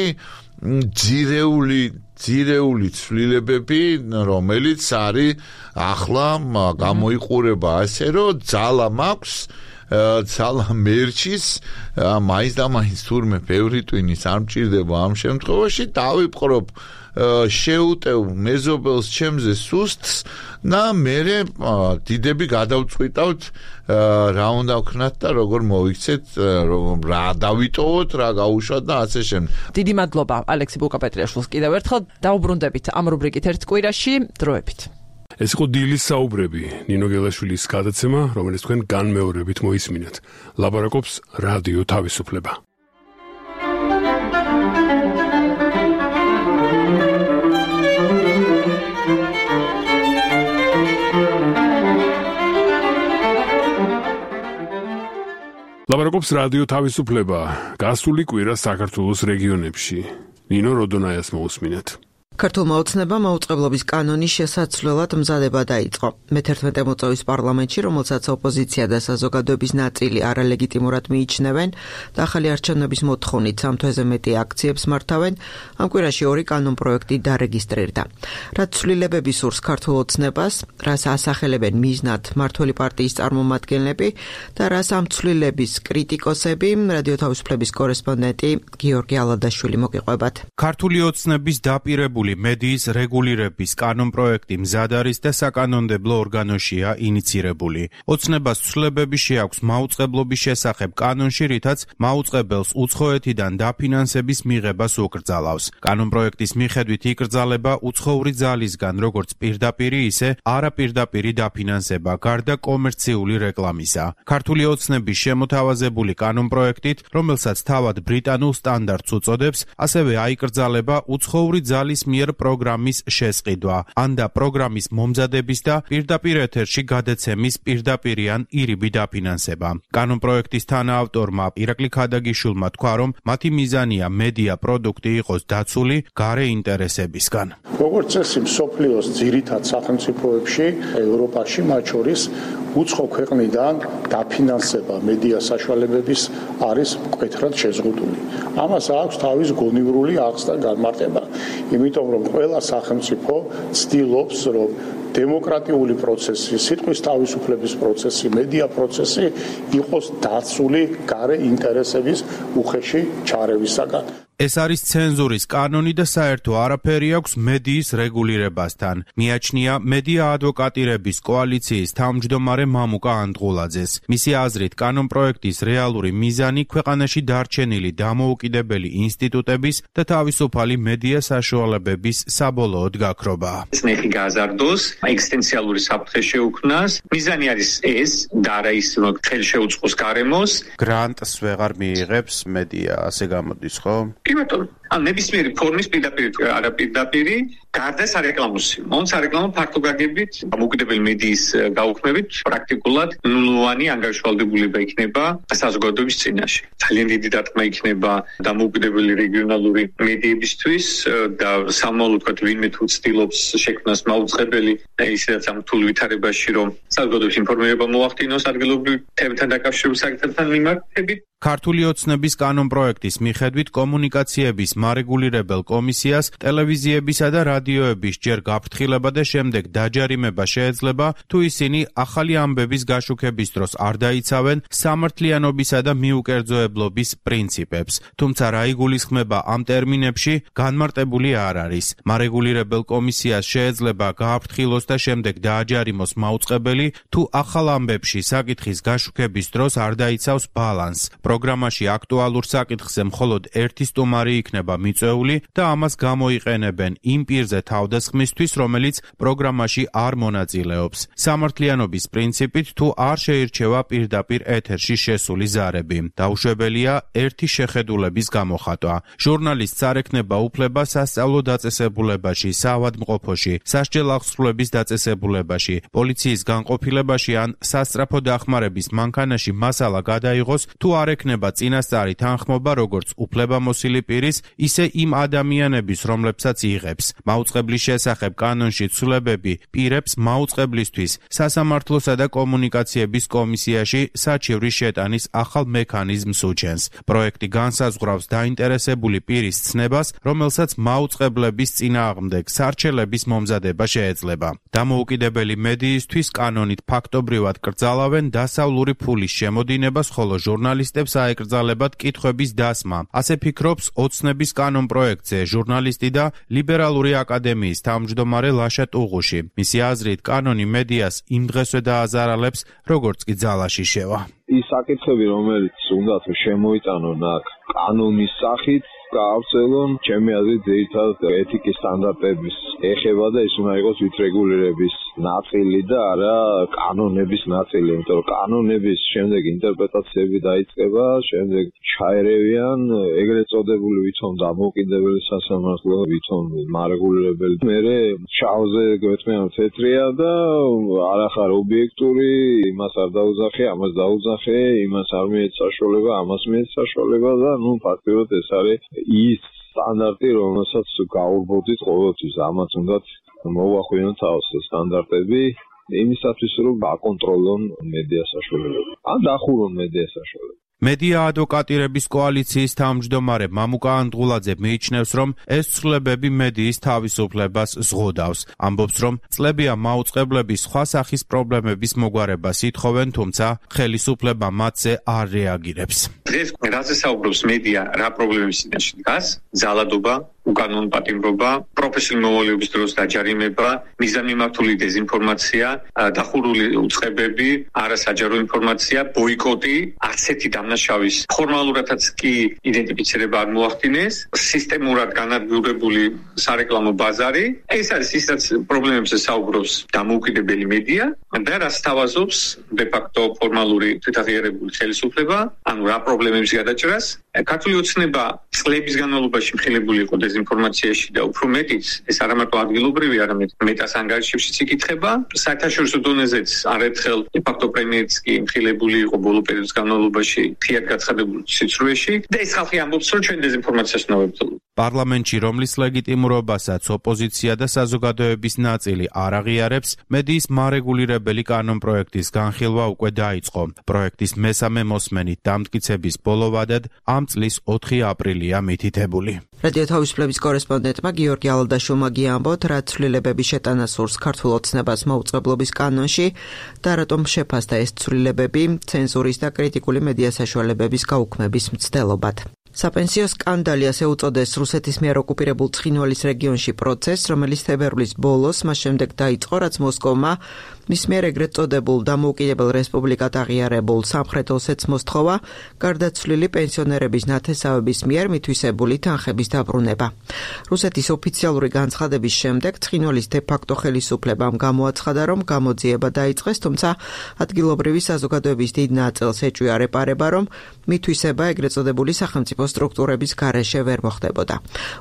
ძირეული ცვლილებები, რომელიც არის ახლა გამოიყურება ასე, რომ ძალა მაქვს, ძალა მერჩის, მაინც და მაინც თურმე ბევრი ტვინის არ მჭირდება ამ შემთხვევაში, დავიპყრობ შეუტევ მეზობელს ჩემზე სუსტს და მე დიდები გადავწყვიტავთ რა უნდა ვქნათ და როგორ მოიქცეთ რა დავიტოვოთ რა გაუშვათ და ასე შემდეგ.
დიდი მადლობა ალექსი ბუკაპეტრიაშვილს კიდევ ერთხელ დაუბრუნდებით ამ რუბრიკით ერთ კვირაში დროებით.
ეს იყო დილის საუბრები ნინო გელაშვილის გადაცემა რომელიც თქვენ განმეორებით მოისმინეთ. ლაპარაკობს რადიო თავისუფლება. ლაპარაკობს რადიო თავისუფლება გასული კვირა საქართველოს რეგიონებში. ნინო როდონაიას მოусმინეთ.
ქართულმა ოცნებამ მაუწყებლობის კანონის შესაცვლელად მზადება დაიწყო. მე-11 მოწვევის პარლამენტში, რომელსაც ოპოზიცია და საზოგადოების ნაწილი არალეგიტიმურად მიიჩნევენ და ახალი არჩევნების მოთხოვნით 3 თვეზე მეტი აქციებს მართავენ, ამ კვირაში 2 კანონპროექტი დარეგისტრირდა. რაც ცვლილებები სურს ქართულ ოცნებას, რას ასახელებენ მიზნად მმართველი პარტიის წარმომადგენლები და რას ამ ცვლილების კრიტიკოსები, რადიო თავისუფლების კორესპონდენტი გიორგი ალადაშვილი მოგიყვებათ.
ქართული ოცნების დაპირებული მედიის რეგულირების კანონპროექტი მზად არის და საკანონმდებლო ორგანოშია ინიცირებული. ოცნებას ცვლილებები შეაქვს მაუწყებლობის შესახებ კანონში, რითაც მაუწყებელს უცხოეთიდან დაფინანსების მიღებას უკრძალავს. კანონპროექტის მიხედვით იკრძალება უცხოური ძალისგან როგორც პირდაპირი, ისე არაპირდაპირი დაფინანსება გარდა კომერციული რეკლამისა. ქართული ოცნების შემოთავაზებული კანონპროექტით, რომელსაც თავად ბრიტანულ სტანდარტს უწოდებს, ასევე აიკრძალება უცხოური ძალის მიერ პროგრამის შესყიდვა, ან და პროგრამის მომზადების და პირდაპირ ეთერში გადაცემის პირდაპირი ან ირიბი დაფინანსება. კანონპროექტის თანაავტორმა ირაკლი ქადაგიშვილმა თქვა, რომ მათი მიზანია მედია პროდუქტი იყოს დაცული გარე ინტერესებისგან.
როგორც წესი, მსოფლიოს ძირითად სახელმწიფოებში, ევროპაში, მათ შორის უცხო ქვეყნიდან დაფინანსება მედია საშუალებების არის მკვეთრად შეზღუდული. ამას აქვს თავის გონივრული აღზრდა და განმარტება. იმიტომ რომ ყველა სახელმწიფო ცდილობს რომ დემოკრატიული პროცესი, სიტყვის თავისუფლების პროცესი, მედია პროცესი იყოს დაცული გარე ინტერესების უხეში ჩარევისაგან.
ეს არის ცენზურის კანონი და საერთო არაფერი აქვს მედიის რეგულირებასთან. მიაჩნია მედია ადვოკატირების კოალიციის თავმჯდომარე მამუკა ანდღულაძეს. მისი აზრით, კანონპროექტის რეალური მიზანი ქვეყანაში დარჩენილი დამოუკიდებელი ინსტიტუტების და თავისუფალი მედია საშუალებების საბოლოოდ გაქრობაა.
ნეხი გაზარდოს, ეგზისტენციალური საფრთხე შეუქმნას. მიზანი არის ეს და არა ის, რომ ხელშეუწყოს გარემოს.
გრანტს ვეღარ მიიღებს მედია, ასე გამოდის, ხო?
იმიტომ ან ნებისმიერი ფორმის პირდაპირი არაპირდაპირი გარდა სარეკლამოსი. მონ სარეკლამო ფართო გაგებით დამოუკიდებელი მედიის გაუქმებით პრაქტიკულად ნულოვანი ანგარიშვალდებულება იქნება საზოგადოების წინაშე. ძალიან დიდი დარტყმა იქნება დამოუკიდებელი რეგიონალური მედიებისთვის და სამომავლოდ თქვათ ვინმე თუ ცდილობს შექმნას მაუწყებელი ისედაც ამ რთულ ვითარებაში რომ საზოგადოების ინფორმირება მოახდინოს ადგილობრივ თემებთან დაკავშირებულ საკითხებთან მიმართებით.
ქართული ოცნების კანონპროექტის მიხედვით კომუნიკაციების მარეგულირებელ კომისიას ტელევიზიებისა და რადიოების ჯერ გაფრთხილება და შემდეგ დაჯარიმება შეეძლება, თუ ისინი ახალი ამბების გაშუქების დროს არ დაიცავენ სამართლიანობისა და მიუკერძოებლობის პრინციპებს. თუმცა რა იგულისხმება ამ ტერმინებში, განმარტებული არ არის. მარეგულირებელ კომისიას შეეძლება გააფრთხილოს და შემდეგ დააჯარიმოს მაუწყებელი, თუ ახალ ამბებში საკითხის გაშუქების დროს არ დაიცავს ბალანსს. პროგრამაში აქტუალურ საკითხზე მხოლოდ ერთი სტუმარი იქნება მიწვეული და ამას გამოიყენებენ იმ პირზე თავდასხმისთვის, რომელიც პროგრამაში არ მონაწილეობს. სამართლიანობის პრინციპით, თუ არ შეირჩევა პირდაპირ ეთერში შესული ზარები. დაუშვებელია ერთი შეხედულების გამოხატვა. ჟურნალისტს არ ექნება უფლება სასწავლო დაწესებულებაში, საავადმყოფოში, სასჯელ აღსრულების დაწესებულებაში, პოლიციის განყოფილებაში ან სასწრაფო დახმარების მანქანაში მასალა გადაიღოს, თუ არ ექნება წინასწარი თანხმობა როგორც უფლებამოსილი პირის, ისე იმ ადამიანების, რომლებსაც იღებს. მაუწყებლის შესახებ კანონში ცვლილებები პირებს მაუწყებლისთვის სასამართლოსა და კომუნიკაციების კომისიაში საჩივრის შეტანის ახალ მექანიზმს უჩენს. პროექტი განსაზღვრავს დაინტერესებული პირის ცნებას, რომელსაც მაუწყებლების წინააღმდეგ სარჩელების მომზადება შეეძლება. დამოუკიდებელი მედიისთვის კანონით ფაქტობრივად კრძალავენ დასავლური ფულის შემოდინებას, ხოლო ჟურნალისტებს აეკრძალებათ კითხვების დასმა. ასე ფიქრობს ოცნების კანონ პროექტზე ჟურნალისტი და ლიბერალური აკადემიის თავმჯდომარე ლაშა ტუღუში. მისი აზრით, კანონი მედიას იმ დღესვე დააზარალებს, როგორც კი ძალაში შევა.
ის საკითხები, რომელიც უნდა შემოიტანონ აქ კანონის სახით, გაავრცელონ, ჩემი აზრით, ძირითადად ეთიკის სტანდარტების ეხება და ის უნდა იყოს ვითრეგულირების ნაწილი და არა კანონების ნაწილი, იმიტომ რომ კანონების შემდეგ ინტერპრეტაციები დაიწყება, შემდეგ ჩაერევიან ეგრეთ წოდებული ვითომ დამოუკიდებელი სასამართლო, ვითომ მარეგულირებელი. მერე შავზე გვეთმიან თეთრია და არახარ ობიექტური, იმას არ დაუძახე, ამას დაუძახე, იმას არ მიეც საშუალება, ამას მიეც საშუალება და ფაქტობრივად ეს არის ის სტანდარტი, რომელსაც გაურბოდით ყოველთვის. ამაც უნდა მოვახვინოთ თავს სტანდარტები იმისათვის, რომ აკონტროლონ მედია საშუალებები. ან დახურონ მედია საშუალებები.
მედია ადვოკატირების კოალიციის თავმჯდომარე მამუკა ანდღულაძე მიიჩნევს, რომ ეს ცვლილებები მედიის თავისუფლებას ზღუდავს. ამბობს, რომ წლებია მაუწყებლების სხვა სახის პრობლემების მოგვარებას ითხოვენ, თუმცა ხელისუფლება მათზე არ რეაგირებს.
დღეს რაზე საუბრობს მედია, რა პრობლემების წინაშე დგას? ძალადობა, უკანონო პატიმრობა, პროფესიული მოვალეობის დროს დაჯარიმება, მიზანმიმართული დეზინფორმაცია, დახურული უწყებები, არასაჯარო ინფორმაცია, ბოიკოტი, არცეთი დამნაშავის ფორმალურადაც კი იდენტიფიცირება არ მოახდინეს, სისტემურად განადგურებული სარეკლამო ბაზარი. ეს არის ისაც პრობლემებზე საუბრობს დამოუკიდებელი მედია და რას თავაზობს დე-ფაქტო ფორმალური თვითაღიარებული ხელისუფლება, ანუ რა პრობლემების გადაჭრას. ქართული ოცნება წლების განმავლობაში მხილებული იყო დეზინფორმაციაში და უფრო მეტიც, ეს არა მარტო ადგილობრივი, არამედ მეტას ანგარიშებშიც იკითხება. საერთაშორისო დონეზეც არაერთხელ დე-ფაქტო პრემიერიც კი მხილებული იყო ბოლო პერიოდის განმავლობაში ფიად გაცხადებულ სიცრუეში და ეს ხალხი ამბობს, რომ ჩვენ დეზინფორმაციას უნდა ვებრძოლოთ.
პარლამენტში, რომლის ლეგიტიმურობასაც ოპოზიცია და საზოგადოების ნაწილი არ აღიარებს, მედიის მარეგულირებელი კანონპროექტის განხილვა უკვე დაიწყო. პროექტის მესამე მოსმენით დამტკიცების ბოლო ვადად ამ წლის 4 აპრილია მითითებული.
რადიო თავისუფლების კორესპონდენტმა გიორგი ალადაშვილმა გიამბოთ, რა ცვლილებების შეტანა სურს ქართულ ოცნებას მაუწყებლობის კანონში და რატომ შეფასდა ეს ცვლილებები ცენზურის და კრიტიკული მედია საშუალებების გაუქმების მცდელობად. საპენსიო სკანდალი ასე უწოდეს რუსეთის მიერ ოკუპირებულ ცხინვალის რეგიონში პროცესს, რომელიც თებერვლის ბოლოს მას შემდეგ დაიწყო, რაც მოსკოვმა მის მიერ ეგრეთ წოდებულ დამოუკიდებელ რესპუბლიკად აღიარებულ სამხრეთ ოსეთს მოსთხოვა გარდაცვლილი პენსიონერების ნათესავების მიერ მითვისებული თანხების დაბრუნება. რუსეთის ოფიციალური განცხადების შემდეგ ცხინვალის დე-ფაქტო ხელისუფლებამ გამოაცხადა, რომ გამოძიება დაიწყეს, თუმცა ადგილობრივი საზოგადოების დიდ ნაწილს ეჭვია რეპარება, რომ მითვისება ეგრეთ წოდებული სახელმწიფო სტრუქტურების გარეშე ვერ მოხდებოდა.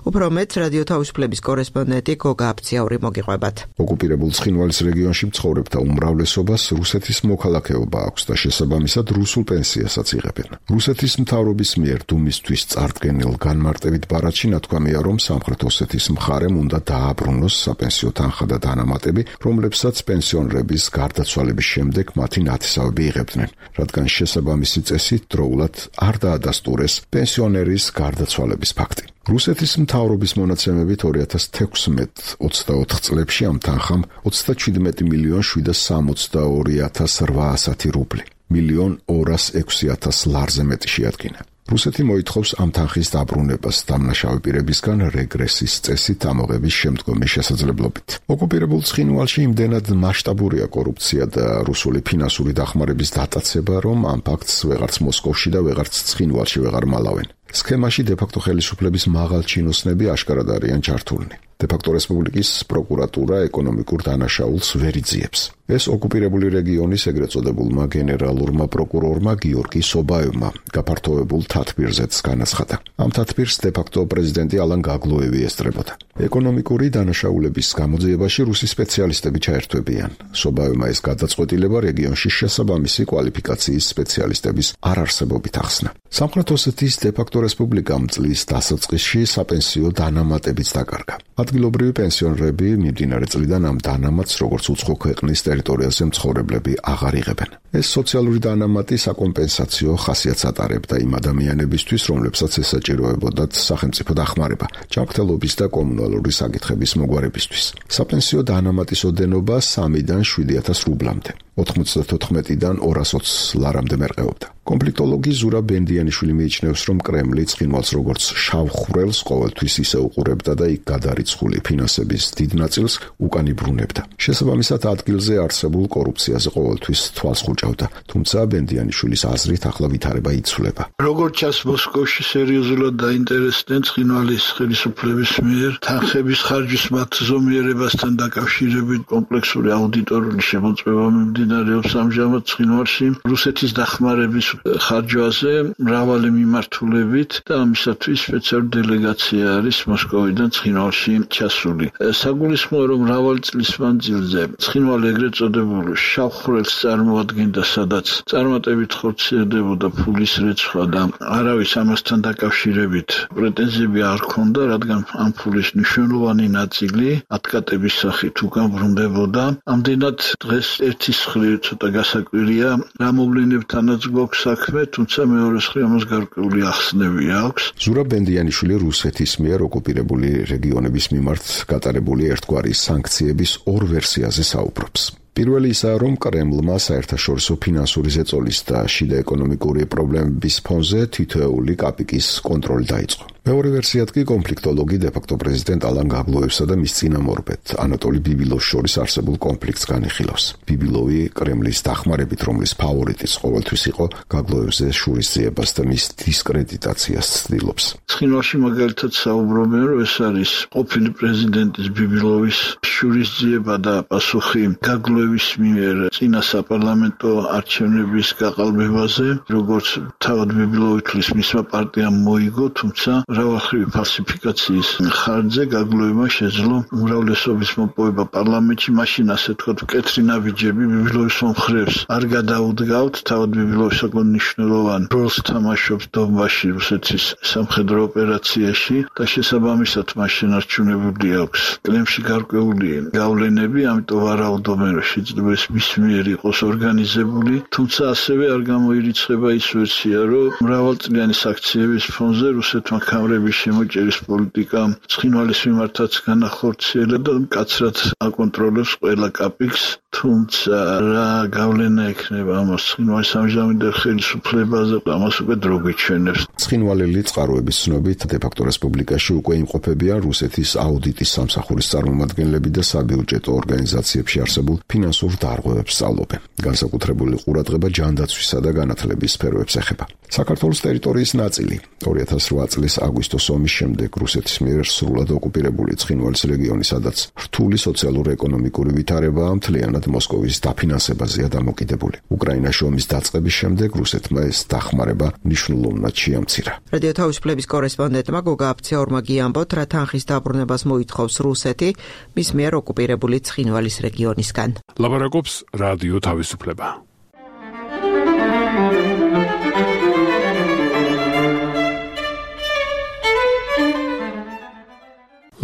უფრო მეტს რადიო თავისუფლების კორესპონდენტი გოგა აფციაური მოგიყვებათ.
ოკუპირებულ ცხინვალის რეგიონში მცხოვრებთა უმრავლესობას რუსეთის მოქალაქეობა აქვს და შესაბამისად რუსულ პენსიასაც იღებენ. რუსეთის მთავრობის მიერ დუმისთვის წარდგენილ განმარტებით ბარათში ნათქვამია, რომ სამხრეთ ოსეთის მხარემ უნდა დააბრუნოს საპენსიო თანხა და დანამატები, რომლებსაც პენსიონერების გარდაცვალების შემდეგ მათი ნათესავები იღებდნენ, რადგან შესაბამისი წესი დროულად არ დაადასტურეს პენსიონერების ვაგნერის გარდაცვალების ფაქტი. რუსეთის მთავრობის მონაცემებით 2016-24 წლებში ამ თანხამ 37.762.800 რუბლი, 1.206.000 ლარზე მეტი შეადგინა. რუსეთი მოითხოვს ამ თანხის დაბრუნებას დამნაშავე პირებისგან რეგრესის წესით ამოღების შემდგომი შესაძლებლობით. ოკუპირებულ ცხინვალში იმდენად მასშტაბურია კორუფცია და რუსული ფინანსური დახმარების დატაცება, რომ ამ ფაქტს ვეღარც მოსკოვში და ვეღარც ცხინვალში ვეღარ მალავენ. სქემაში დე-ფაქტო ხელისუფლების მაღალ ჩინოსნები აშკარად არიან ჩართულნი. დე-ფაქტო რესპუბლიკის პროკურატურა ეკონომიკურ დანაშაულს ვერ იძიებს. ეს ოკუპირებული რეგიონის ეგრეთ წოდებულმა გენერალურმა პროკურორმა გიორგი სობაევმა გაფართოებულ თათბირზეც განაცხადა. ამ თათბირს დე-ფაქტო პრეზიდენტი ალან გაგლოევი ესწრებოდა. ეკონომიკური დანაშაულების გამოძიებაში რუსი სპეციალისტები ჩაერთვებიან. სობაევმა ეს გადაწყვეტილება რეგიონში შესაბამისი კვალიფიკაციის სპეციალისტების არარსებობით ახსნა. სამხრეთ ოსეთის დე-ფაქტო რესპუბლიკამ წლის დასაწყისში საპენსიო დანამატებიც დაკარგა. ადგილობრივი პენსიონერები მიმდინარე წლიდან ამ დანამატს როგორც უცხო ქვეყნის ტერიტორიაზე მცხოვრებლები აღარ იღებენ. ეს სოციალური დანამატი საკომპენსაციო ხასიათს ატარებდა იმ ადამიანებისთვის, რომლებსაც ესაჭიროებოდათ სახელმწიფო დახმარება, ჯანმრთელობის და კომუნალური საკითხების მოგვარებისთვის. საპენსიო დანამატის ოდენობა 3-დან 7,000 რუბლამდე, 94-დან 220 ლარამდე მერყეობდა. კონფლიქტოლოგი ზურაბ ბენდიანიშვილი მიიჩნევს, რომ კრემლი ცხინვალს როგორც შავ ხვრელს ყოველთვის ისე უყურებდა და იქ გადარიცხული ფინანსების დიდ ნაწილს უკან იბრუნებდა. შესაბამისად, ადგილზე არსებულ კორუფციაზე ყოველთვის თვალს ხუჭავდა, თუმცა ბენდიანიშვილის აზრით ახლა ვითარება იცვლება.
როგორც ჩანს, მოსკოვში სერიოზულად დაინტერესდნენ ცხინვალის ხელისუფლების მიერ თანხების ხარჯის მათ ზომიერებასთან დაკავშირებით კომპლექსური აუდიტორული შემოწმება მიმდინარეობს ამჟამად ცხინვალში რუსეთის დახმარების ხარჯვაზე მრავალი მიმართულებით და ამისათვის სპეციალური დელეგაცია არის მოსკოვიდან ცხინვალში ჩასული. საგულისხმოა, რომ მრავალი წლის მანძილზე ცხინვალი ეგრეთ წოდებულ შავ ხვრელს წარმოადგენდა, სადაც წარმატებით ხორციელდებოდა ფულის რეცხვა და არავის ამასთან დაკავშირებით პრეტენზიები არ ჰქონდა, რადგან ამ ფულის მნიშვნელოვანი ნაწილი ათკატების სახით უკან ბრუნდებოდა. ამდენად დღეს ერთის მხრივ ცოტა გასაკვირია რა მოვლენებთანაც გვაქვს საქმე, თუმცა მეორე მხრივ ამას გარკვეული ახსნები აქვს.
ზურაბ ბენდიანიშვილი რუსეთის მიერ ოკუპირებული რეგიონების მიმართ გატარებული ერთგვარი სანქციების ორ ვერსიაზე საუბრობს. პირველი ისაა, რომ კრემლმა საერთაშორისო ფინანსური ზეწოლის და შიდა ეკონომიკური პრობლემების ფონზე თითოეული კაპიკის კონტროლი დაიწყო. მეორე ვერსიად კი კონფლიქტოლოგი დე-ფაქტო პრეზიდენტ ალან გაგლოევსა და მის წინამორბედ ანატოლი ბიბილოვს შორის არსებულ კონფლიქტს განიხილავს. ბიბილოვი კრემლის დახმარებით, რომლის ფავორიტიც ყოველთვის იყო, გაგლოევზე შურისძიებას და მის დისკრედიტაციას ცდილობს.
ცხინვალში მაგალითად საუბრობენ, რომ ეს არის ყოფილი პრეზიდენტის ბიბილოვის შურისძიება და პასუხი გაგლოევის მიერ წინა საპარლამენტო არჩევნების გაყალბებაზე, როგორც თავად ბიბილოვი თვლის მისმა პარტიამ მოიგო, თუმცა მრავალმხრივი ფალსიფიკაციის ხარჯზე გაგლოევმა შეძლო უმრავლესობის მოპოვება პარლამენტში, მაშინ ასე თქვათ მკეთრი ნაბიჯები ბიბილოვის მომხრეებს არ გადაუდგავთ. თავად ბიბილოვი საკმაოდ მნიშვნელოვან როლს თამაშობს დონბასში რუსეთის სამხედრო ოპერაციაში და შესაბამისად მას შენარჩუნებული აქვს კრემლში გარკვეული გავლენები, ამიტომ ვარაუდობენ, რომ შეიძლება ეს მის მიერ იყოს ორგანიზებული, თუმცა ასევე არ გამოირიცხება ის ვერსია, რომ მრავალწლიანი საქციების ფონზე რუსეთმა კამრების შემოჭერის პოლიტიკა ცხინვალის მიმართაც განახორციელა და მკაცრად აკონტროლებს ყველა კაპიკს, თუმცა რა გავლენა ექნება ამას ცხინვალის ამჟამინდელ ხელისუფლებაზე, ამას უკვე დრო გვიჩვენებს.
ცხინვალელი წყაროების ცნობით დე-ფაქტო რესპუბლიკაში უკვე იმყოფებიან რუსეთის აუდიტის სამსახურის წარმომადგენლები და საბიუჯეტო ორგანიზაციებში არსებულ ფინანსურ დარღვევებს სწავლობენ. განსაკუთრებული ყურადღება ჯანდაცვისა და განათლების სფეროებს ეხება. საქართველოს ტერიტორიის ნაწილი 2008 წლის აგვისტოს ომის შემდეგ რუსეთის მიერ სრულად ოკუპირებული ცხინვალის რეგიონი, სადაც რთული სოციალურ-ეკონომიკური ვითარებაა, მთლიანად მოსკოვის დაფინანსებაზეა დამოკიდებული. უკრაინაში ომის დაწყების შემდეგ რუსეთმა ეს დახმარება მნიშვნელოვნად შეამცირა.
რადიო თავისუფლების კორესპონდენტმა გოგა აფციაურმა გიამბოთ, რა თანხის დაბრუნებას მოითხოვს რუსეთი მის მიერ ოკუპირებული ცხინვალის რეგიონისგან.
ლაპარაკობს რადიო თავისუფლება.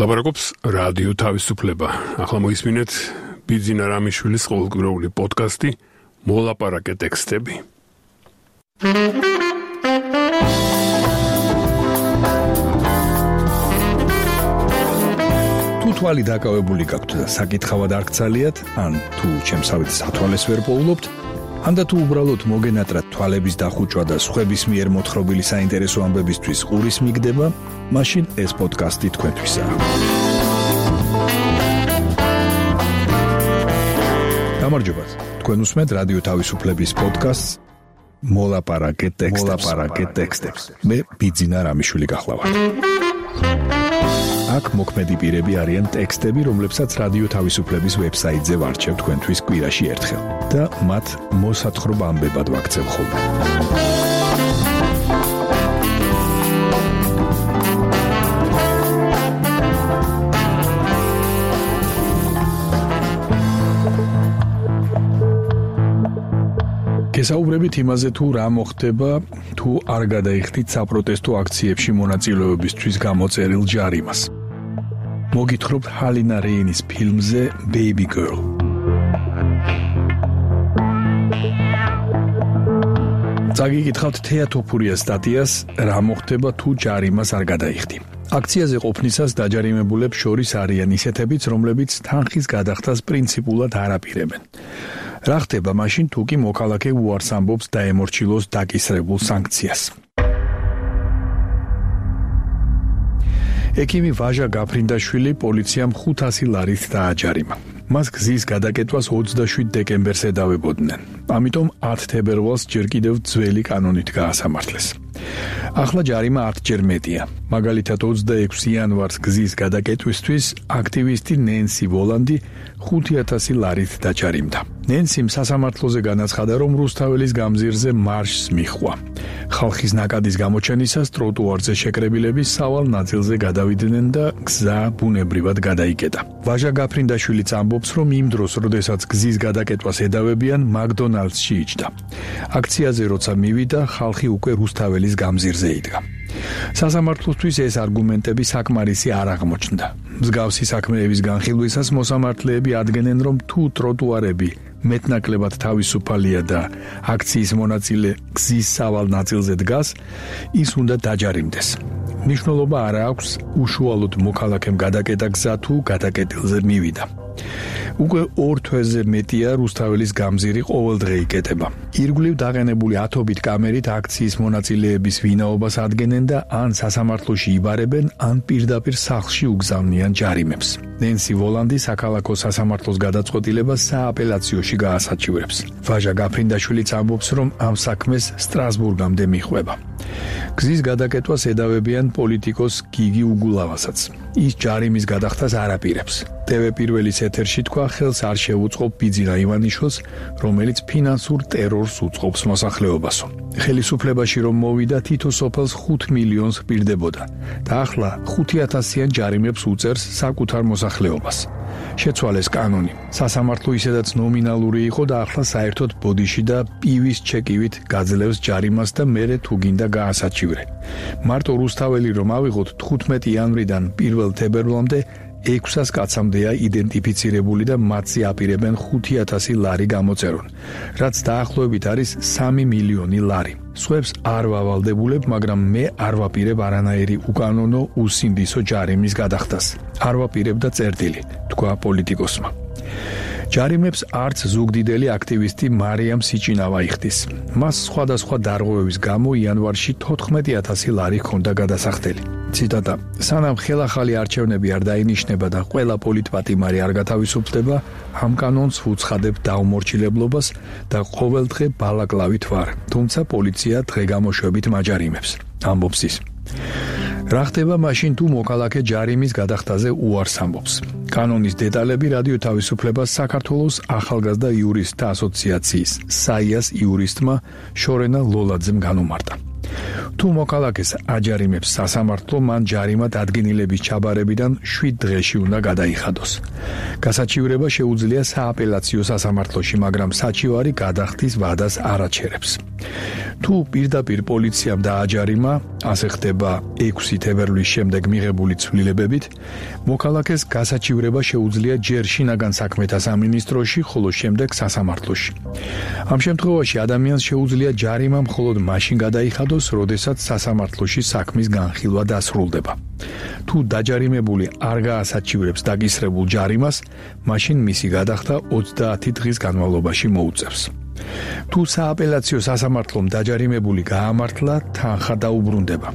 ლაპარაკობს რადიო თავისუფლება. ახლა მოისმინეთ ბიძინა რამიშვილის ყოველკვირეული პოდკასტი მოლაპარაკე ტექსტები.
თვალი დაკავებული გაქვთ და საკითხავად არ გცალიათ, ან თუ ჩემსავით სათვალეს ვერ პოულობთ, ანდა თუ უბრალოდ მოგენატრათ თვალების დახუჭვა და სხვების მიერ მოთხრობილი საინტერესო ამბებისთვის ყურის მიგდება, მაშინ ეს პოდკასტი თქვენთვისაა. გამარჯობათ. თქვენ უსმენთ რადიო თავისუფლების პოდკასტს მოლაპარაკე ტექსტებს. მე ბიძინა რამიშვილი გახლავართ. აქ მოქმედი პირები არიან ტექსტები, რომლებსაც რადიო თავისუფლების ვებსაიტზე ვარჩევ თქვენთვის კვირაში ერთხელ და მათ მოსათხრობ ამბებად ვაქცევ ხოლმე. გესაუბრებით იმაზე, თუ რა მოხდება, თუ არ გადაიხდით საპროტესტო აქციებში მონაწილეობისთვის გამოწერილ ჯარიმას. მოგითხრობთ ჰალინა რეინის ფილმზე Baby Girl. წაგიკითხავთ თეატოფურიას სტატიას, რა მოხდება თუ ჯარიმას არ გადაიხდი. აქციაზე ყოფნისას დაჯარიმებულებს შორის არიან ისეთებიც, რომლებიც თანხის გადახდას პრინციპულად არ აპირებენ. რა ხდება მაშინ, თუ კი მოქალაქე უარს ამბობს დაემორჩილოს დაკისრებულ სანქციას? ექიმი ვაჟა გაფრინდაშვილი პოლიციამ 500 ლარით დააჯარიმა. მას გზის გადაკეტვას 27 დეკემბერს ედავებოდნენ. ამიტომ 10 თებერვალს ჯერ კიდევ ძველი კანონით გაასამართლეს. ახლა ჯარიმა 10 ჯერ მეტია. მაგალითად 26 იანვარს გზის გადაკეტვისთვის აქტივისტი ნენსი ვოლანდი 5000 ლარით დაჯარიმდა. ნენსიმ სასამართლოზე განაცხადა, რომ რუსთაველის გამზირზე მარშს მიჰყვა. ხალხის ნაკადის გამოჩენისას ტროტუარზე შეკრებილები სავალ ნაწილზე გადავიდნენ და გზა ბუნებრივად გადაიკეტა. ვაჟა გაფრინდაშვილიც ამბობს, რომ იმ დროს, როდესაც გზის გადაკეტვას ედავებიან, მაკდონალდსში იჯდა. აქციაზე როცა მივიდა, ხალხი უკვე რუსთაველის გამზირზე იდგა. სასამართლოსთვის ეს არგუმენტები საკმარისი არ აღმოჩნდა. მსგავსი საქმეების განხილვისას მოსამართლეები ადგენენ, რომ თუ ტროტუარები მეტნაკლებად თავისუფალია და აქციის მონაწილე გზის სავალ ნაწილზე დგას, ის უნდა დაჯარიმდეს. მნიშვნელობა არ აქვს უშუალოდ მოქალაქემ გადაკეტა გზა თუ გადაკეტილზე მივიდა. უკვე 2 თვეზე მეტია რუსთაველის გამზირი ყოველდღე იკეტება. ირგვლივ დაყენებული ათობით კამერით აქციის მონაწილეების ვინაობას ადგენენ და ან სასამართლოში იბარებენ, ან პირდაპირ სახლში უგზავნიან ჯარიმებს. ნენსი ვოლანდი საქალაქო სასამართლოს გადაწყვეტილებას სააპელაციოში გაასაჩივრებს. ვაჟა გაფრინდაშვილიც ამბობს, რომ ამ საქმეს სტრასბურგამდე მიჰყვება. გზის გადაკეტვას ედავებიან პოლიტიკოს გიგი უგულავასაც. ის ჯარიმის გადახდას არ აპირებს. TV პირველის ეთერში თქვა, ხელს არ შეუწყობ ბიძინა ივანიშვილს, რომელიც ფინანსურ ტერორს უწყობს მოსახლეობასო. ხელისუფლებაში რომ მოვიდა, თითო სოფელს 5 მილიონს პირდებოდა და ახლა 5000-იან ჯარიმებს უწერს საკუთარ მოსახლეობას. შეცვალეს კანონი. სასამართლო ისედაც ნომინალური იყო და ახლა საერთოდ ბოდიში და პივის ჩეკივით გაძლევს ჯარიმას და მერე თუ გინდა გაასაჩივრე. მარტო რუსთაველი რომ ავიღოთ 15 იანვრიდან 1 თებერვლამდე 600 კაცამდეა იდენტიფიცირებული და მათზე აპირებენ 5000 ლარი გამოწერონ, რაც დაახლოებით არის 3 მილიონი ლარი. სხვებს არ ვავალდებულებ, მაგრამ მე არ ვაპირებ არანაირი უკანონო უსინდისო ჯარიმის გადახდას. არ ვაპირებ და წერტილი, თქვა პოლიტიკოსმა. ჯარიმებს არც ზუგდიდელი აქტივისტი მარიამ სიჭინავა იხდის. მას სხვადასხვა დარღვევების გამო იანვარში 14000 ლარი ჰქონდა გადასახდელი. ციტატა: სანამ ხელახალი არჩევნები არ დაინიშნება და ყველა პოლიტპატიმარი არ გათავისუფლდება, ამ კანონს ვუცხადებ დაუმორჩილებლობას და ყოველდღე ბალაკლავით ვარ, თუმცა პოლიცია დღე-გამოშვებით მაჯარიმებს. ამბობს ის. რა ხდება მაშინ, თუ მოქალაქე ჯარიმის გადახდაზე უარს ამბობს? კანონის დეტალები რადიო თავისუფლებას საქართველოს ახალგაზრდა იურისტთა ასოციაციის საიას იურისტმა შორენა ლოლაძემ განუმარტა. თუ მოქალაქეს აჯარიმებს სასამართლო, მან ჯარიმა დადგენილების ჩაბარებიდან 7 დღეში უნდა გადაიხადოს. გასაჩივრება შეუძლია სააპელაციო სასამართლოში, მაგრამ საჩივარი გადახდის ვადას არ აჩერებს. თუ პირდაპირ პოლიციამ დააჯარიმა, ასე ხდება 6 თებერვლის შემდეგ მიღებული ცვლილებებით, მოქალაქეს გასაჩივრება შეუძლია ჯერ შინაგან საქმეთა სამინისტროში, ხოლო შემდეგ სასამართლოში. ამ შემთხვევაში ადამიანს შეუძლია ჯარიმა მხოლოდ მაშინ გადაიხადოს, როდესაც სასამართლოში საქმის განხილვა დასრულდება. თუ დაჯარიმებული არ გაასაჩივრებს დაკისრებულ ჯარიმას, მაშინ მისი გადახდა 30 დღის განმავლობაში მოუწევს. თუ სააპელაციო სასამართლომ დაჯარიმებული გაამართლა, თანხა დაუბრუნდება.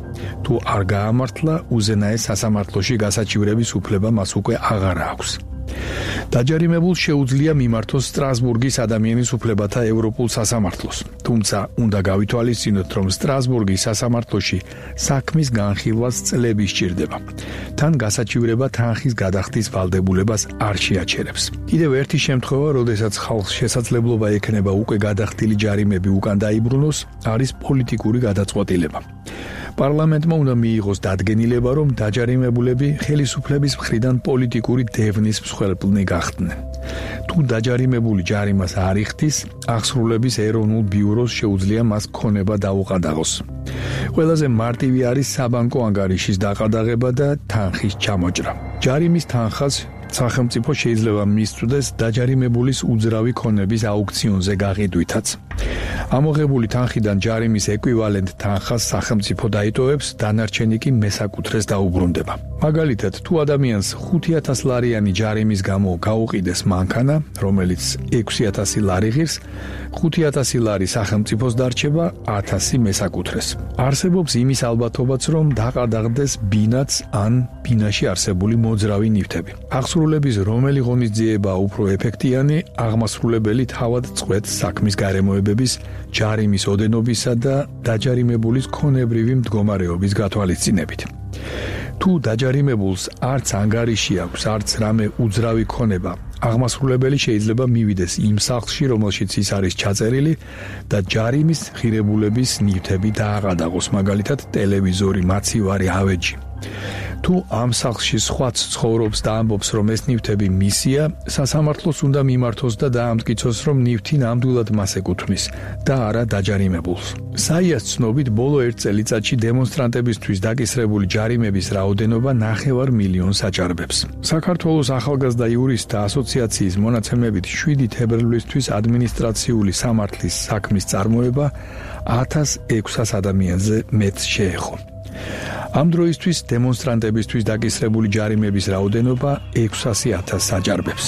თუ არ გაამართლა, უზენაეს სასამართლოში გასაჩივრების უფლება მას უკვე აღარ აქვს. დაჯარიმებულს შეუძლია მიმართოს სტრასბურგის ადამიანის უფლებათა ევროპულ სასამართლოს. თუმცა უნდა გავითვალისწინოთ, რომ სტრასბურგის სასამართლოში საქმის განხილვას წლები სჭირდება. თან გასაჩივრება თანხის გადახდის ვალდებულებას არ შეაჩერებს. კიდევ ერთი შემთხვევა, როდესაც ხალხს შესაძლებლობა ექნება უკვე გადახდილი ჯარიმები უკან დაიბრუნოს, არის პოლიტიკური გადაწყვეტილება. პარლამენტმა უნდა მიიღოს დადგენილება, რომ დაჯარიმებულები ხელისუფლების მხრიდან პოლიტიკური დევნის მსხვერპლნი გახდნენ. თუ დაჯარიმებული ჯარიმას არ იხდის, აღსრულების ეროვნულ ბიუროს შეუძლია მას ქონება დაუყადაღოს. ყველაზე მარტივი არის საბანკო ანგარიშის დაყადაღება და თანხის ჩამოჭრა. ჯარიმის თანხას სახელმწიფო შეიძლება მისწვდეს დაჯარიმებულის უძრავი ქონების აუქციონზე გაყიდვითაც. ამოღებული თანხიდან ჯარიმის ეკვივალენტ თანხას სახელმწიფო დაიტოვებს, დანარჩენი კი მესაკუთრეს დაუბრუნდება. მაგალითად, თუ ადამიანს 5000 ლარიანი ჯარიმის გამო გაუყიდეს მანქანა, რომელიც 6000 ლარი ღირს, 5000 ლარი სახელმწიფოს დარჩება, 1000 მესაკუთრეს. არსებობს იმის ალბათობაც, რომ დაყადაღდეს ბინაც ან ბინაში არსებული მოძრავი ნივთები. აღსრულების რომელი ღონისძიებაა უფრო ეფექტიანი, აღმასრულებელი თავად წყვეტს საქმის გარემოებების, ჯარიმის ოდენობისა და დაჯარიმებულის ქონებრივი მდგომარეობის გათვალისწინებით. თუ დაჯარიმებულს არც ანგარიში აქვს, არც რამე უძრავი ქონება, აღმასრულებელი შეიძლება მივიდეს იმ სახლში, რომელშიც ის არის ჩაწერილი და ჯარიმის ღირებულების ნივთები დააყადაღოს, მაგალითად ტელევიზორი, მაცივარი, ავეჯი. თუ ამ სახლში სხვაც ცხოვრობს და ამბობს, რომ ეს ნივთები მისია, სასამართლოს უნდა მიმართოს და დაამტკიცოს, რომ ნივთი ნამდვილად მას ეკუთვნის და არა დაჯარიმებულს. საიას ცნობით, ბოლო 1 წელიწადში დემონსტრანტებისთვის დაკისრებული ჯარიმების რაოდენობა 9 მილიონს აჭარბებს. საქართველოს ახალგაზრდა იურისტთა ასოციაციის მონაცემებით 7 თებერვლისთვის ადმინისტრაციული სამართლის საქმის წარმოება 1600 ადამიანზე მეტს შეეხო. ამ დროისთვის დემონსტრანტებისთვის დაკისრებული ჯარიმების რაოდენობა 600.000-ს აჭარბებს.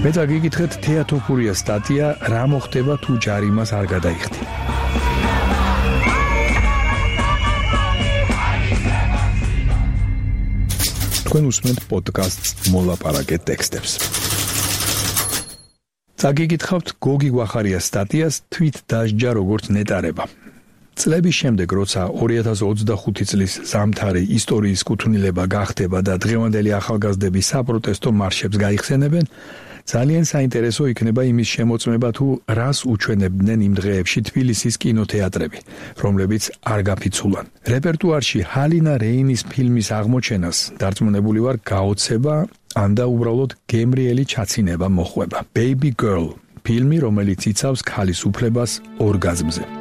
მე დაგიკითხეთ თეატოფურიას სტატია რა მოხდება თუ ჯარიმას არ გადაიხდი. თქვენ უსმენთ პოდკასტს მოლაპარაკე ტექსტებს. დაგიკითხავთ გოგი გვახარიას სტატიას თვით დასჯა როგორც ნეტარება. წლების შემდეგ, როცა 2025 წლის ზამთარი ისტორიის კუთვნილება გახდება და დღევანდელი ახალგაზრდები საპროტესტო მარშებს გაიხსენებენ, ძალიან საინტერესო იქნება იმის შემოწმება თუ რას უჩვენებდნენ იმ დღეებში თბილისის კინოთეატრები, რომლებიც არ გაფიცულან. რეპერტუარში ჰალინა რეინის ფილმის აღმოჩენას დარწმუნებული ვარ გაოცება ან და უბრალოდ გემრიელი ჩაცინება მოხვება. Baby Girl, ფილმი, რომელიც იცავს ქალის უფლებას ორგაზმზე.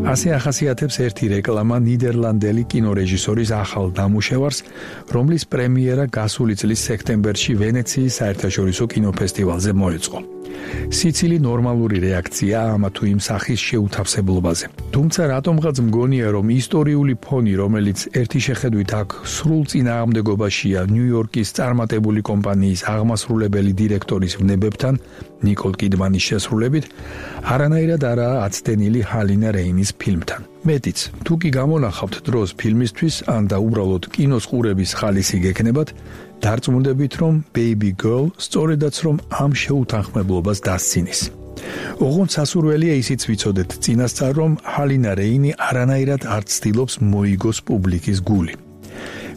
ასე ახასიათებს ერთი რეკლამა ნიდერლანდელი კინორეჟისორის ახალ დამუშევარს, რომლის პრემიერა გასული წლის სექტემბერში ვენეციის საერთაშორისო კინოფესტივალზე მოეწყო. სიცილი ნორმალური რეაქცია ამა თუ იმ სახის შეუთავსებლობაზე. თუმცა რატომღაც მგონია, რომ ისტორიული ფონი, რომელიც ერთი შეხედვით აქ სრულ წინააღმდეგობაშია ნიუ-იორკის წარმატებული კომპანიის აღმასრულებელი დირექტორის ვნებებთან, ნიკოლ კიდმანის შესრულებით, არანაირად არაა აცდენილი ჰალინა რეინის ფილმთან. მეტიც, თუ კი გამონახავთ დროს ფილმისთვის, ან და უბრალოდ კინოს ყურების ხალისი გექნებათ, დარწმუნდებით, რომ Baby Girl სწორედაც რომ ამ შეუთანხმებლობას დასცინის. ოღონდ სასურველია ისიც ვიცოდეთ წინასწარ, რომ ჰალინა რეინი არანაირად არ ცდილობს მოიგოს პუბლიკის გული.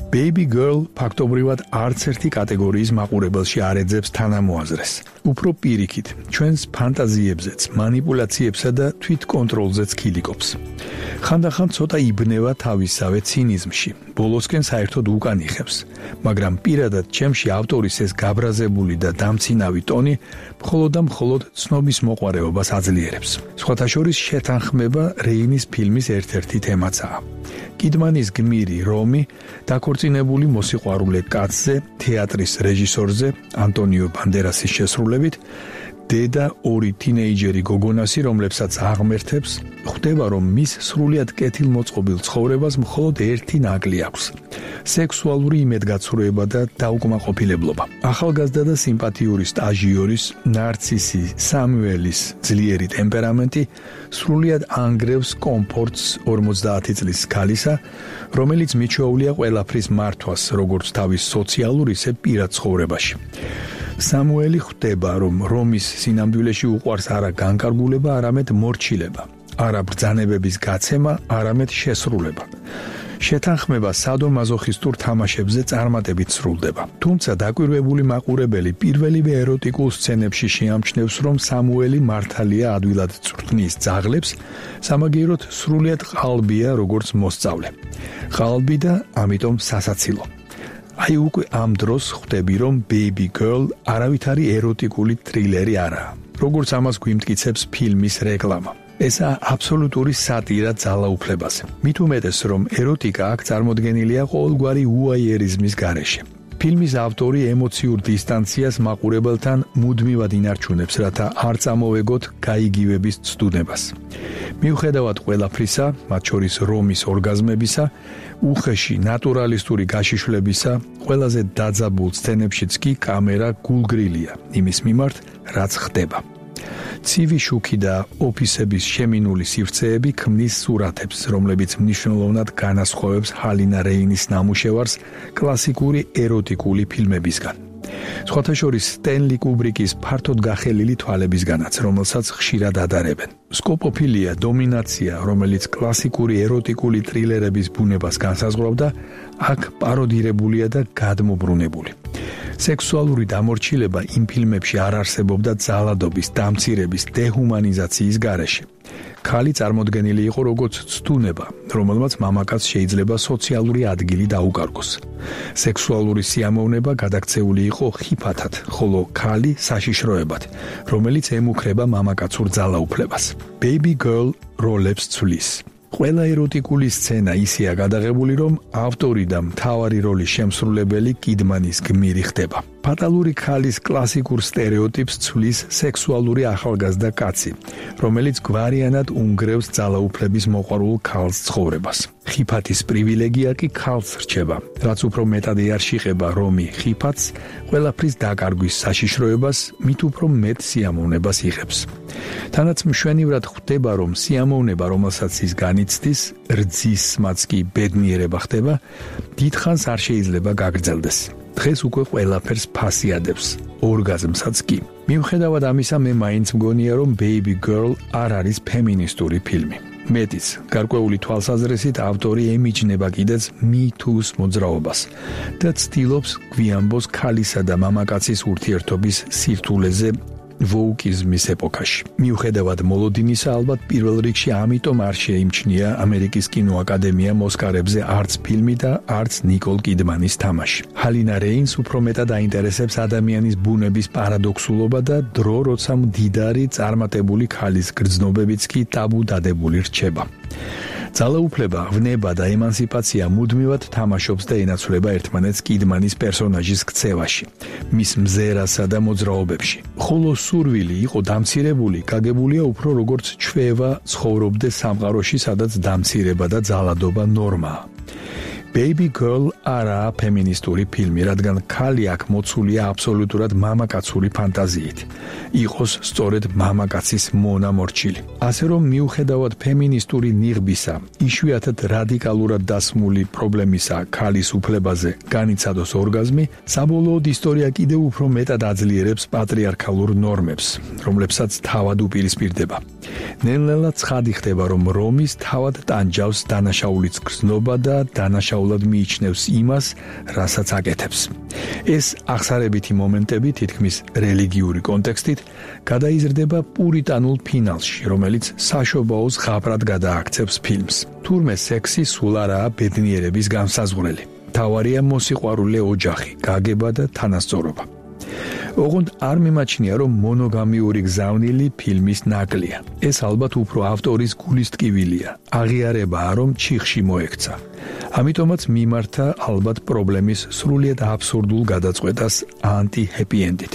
Baby Girl ფაქტობრივად არც ერთი კატეგორიის მაყურებელში არ ეძებს თანამოაზრეს. უფრო პირიქით, ჩვენს ფანტაზიებზეც, манипуляციებსა და თვითკონტროლზეც ქილიკობს. ხანდახან ცოტა იბნევა თავისსავე ცინიზმში, ბოლოსკენ საერთოდ უკან იხევს, მაგრამ პირადად ჩემში ავტორის ეს გაბრაზებული და დამცინავი ტონი მხოლოდ და მხოლოდ ცნობის მოყვარეობას აძლიერებს. სხვათა შორის შეთანხმება რეინის ფილმის ერთ-ერთი თემაცაა. კიდმანის გმირი რომი დაქორწინებული მოსიყვარულე კაცზე, თეატრის რეჟისორზე, ანტონიო ბანდერასის შესრულებით დედა ორი თინეიჯერი გოგონასი, რომლებსაც აღმერთებს, ხვდება, რომ მის სრულიად კეთილმოწყობილ ცხოვრებას მხოლოდ ერთი ნაკლი აქვს: სექსუალური იმედგაცრუება და დაუკმაყოფილებლობა. ახალგაზრდა და სიმპათიური სტაჟიორის, ნარცისი სამუელის ძლიერი ტემპერამენტი სრულიად ანგრევს კომფორტს 50 წლის ქალისა, რომელიც მიჩვეულია ყველაფრის მართვას, როგორც თავის სოციალურ, ისე პირად ცხოვრებაში. სამუელი ხვდება, რომ რომის სინამდვილეში უყვარს არა განკარგულება, არამედ მორჩილება, არა ბრძანებების გაცემა, არამედ შესრულება. შეთანხმება სადო-მაზოხისტურ თამაშებზე წარმატებით სრულდება. თუმცა დაკვირვებული მაყურებელი პირველივე ეროტიკულ სცენებში შეამჩნევს, რომ სამუელი მართალია ადვილად წვრთნის ძაღლებს, სამაგიეროდ სრულიად ყალბია როგორც მოსწავლე. ყალბი და ამიტომ სასაცილო. აი უკვე ამ დროს ხვდები, რომ Baby Girl არავითარი ეროტიკული ტრილერი არაა, როგორც ამას გვიმტკიცებს ფილმის რეკლამა. ესა აბსოლუტური სატირა ძალაუფლებაზე. მით უმეტეს, რომ ეროტიკა აქ წარმოდგენილია ყოველგვარი უაიერიზმის გარეშე. ფილმის ავტორი ემოციურ დისტანციას მაყურებელთან მუდმივად ინარჩუნებს, რათა არ წამოვეგოთ გაიგივების ცდუნებას. მიუხედავად ყველაფრისა, მათ შორის რომის ორგაზმებისა, უხეში ნატურალისტური გაშიშვლებისა, ყველაზე დაძაბულ სცენებშიც კი კამერა გულგრილია იმის მიმართ, რაც ხდება. ცივი შუქი და ოფისების შემინული სივრცეები ქმნის სურათებს, რომლებიც მნიშვნელოვნად განასხვავებს ჰალინა რეინის ნამუშევარს კლასიკური ეროტიკული ფილმებისგან. სხვათა შორის სტენლი კუბრიკის ფართოდ გახელილი თვალებისგანაც, რომელსაც ხშირად ადარებენ. სკოპოფილია, დომინაცია, რომელიც კლასიკური ეროტიკული ტრილერების ბუნებას განსაზღვრავდა, აქ პაროდირებულია და გადმობრუნებული. სექსუალური დამორჩილება იმ ფილმებში არ არსებობდა ძალადობის, დამცირების, დეჰუმანიზაციის გარეშე. ქალი წარმოდგენილი იყო როგორც ცდუნება, რომელმაც მამაკაცს შეიძლება სოციალური ადგილი დაუკარგოს. სექსუალური სიამოვნება გადაქცეული იყო ხიფათად, ხოლო ქალი საშიშროებად, რომელიც ემუქრება მამაკაცურ ძალაუფლებას. Baby Girl როლებს ცვლის. ყველა ეროტიკული სცენა ისეა გადაღებული, რომ ავტორი და მთავარი როლის შემსრულებელი კიდმანის გმირი ხდება. ფატალური ქალის კლასიკურ სტერეოტიპს ცვლის სექსუალური ახალგაზრდა კაცი, რომელიც გვარიანად უნგრევს ძალაუფლების მოყვარულ ქალს ცხოვრებას. ხიფათის პრივილეგია კი ქალს რჩება, რაც უფრო მეტად ეარშიყება რომი ხიფათს, ყველაფრის დაკარგვის საშიშროებას, მით უფრო მეტ სიამოვნებას იღებს. თანაც მშვენივრად ხვდება, რომ სიამოვნება, რომელსაც ის განიცდის, რძისმაც კი ბედნიერება ხდება, დიდხანს არ შეიძლება გაგრძელდეს. დღეს უკვე ყველაფერს ფასი ადევს, ორგაზმსაც კი. მიუხედავად ამისა, მე მაინც მგონია, რომ Baby Girl არ არის ფემინისტური ფილმი. მეტიც, გარკვეული თვალსაზრისით ავტორი ემიჯნება კიდეც Me Too-ს მოძრაობას და ცდილობს გვიანბოს ქალისა და მამაკაცის ურთიერთობის სირთულეზე ვოუკიზმის ეპოქაში. მიუხედავად მოლოდინისა, ალბათ პირველ რიგში ამიტომ არ შეიმჩნია ამერიკის კინოაკადემიამ ოსკარებზე არც ფილმი და არც ნიკოლ კიდმანის თამაში. ჰალინა რეინს უფრო მეტად აინტერესებს ადამიანის ბუნების პარადოქსულობა და დრო, როცა მდიდარი წარმატებული ქალის გრძნობებიც კი ტაბუ დადებული რჩება. ძალაუფლება, ვნება და ემანსიპაცია მუდმივად თამაშობს და ენაცვლება ერთმანეთს კიდმანის პერსონაჟის ქცევაში, მის მზერასა და მოძრაობებში. ხოლო სურვილი იყო დამცირებული, გაგებულია უფრო როგორც ჩვევა ცხოვრობდეს სამყაროში, სადაც დამცირება და ძალადობა ნორმაა. Baby Girl არაა ფემინისტური ფილმი, რადგან ქალი აქ მოცულია აბსოლუტურად მამაკაცური ფანტაზიით. იყოს სწორედ მამაკაცის მონამორჩილი. ასე რომ მიუხედავად ფემინისტური ნიღბისა, იშვიათად რადიკალურად დასმული პრობლემისა ქალის უფლებაზე განიცადოს ორგაზმი, საბოლოოდ ისტორია კიდევ უფრო მეტად აძლიერებს პატრიარქალურ ნორმებს, რომლებსაც თავად უპირისპირდება. ნელ-ნელა ცხადი ხდება, რომ რომის თავად ტანჯავს დანაშაულიც გრძნობა და დანაშაულად მიიჩნევს იმას, რასაც აკეთებს. ეს აღსარებითი მომენტები თითქმის რელიგიური კონტექსტით გადაიზრდება პურიტანულ ფინალში, რომელიც საშობაოს ღაბრად გადააქცევს ფილმს. თურმე სექსი სულ არაა ბედნიერების განსაზღვრელი. თავარია მოსიყვარულე ოჯახი, გაგება და თანასწორობა. ოღონდ არ მიმაჩნია, რომ მონოგამიური გზავნილი ფილმის ნაკლია. ეს ალბათ უფრო ავტორის გულის ტკივილია. აღიარებაა, რომ ჩიხში მოექცა. ამიტომაც მიმართა ალბათ პრობლემის სრულიად აბსურდულ გადაწყვეტას ანტი-ჰეპი ენდით.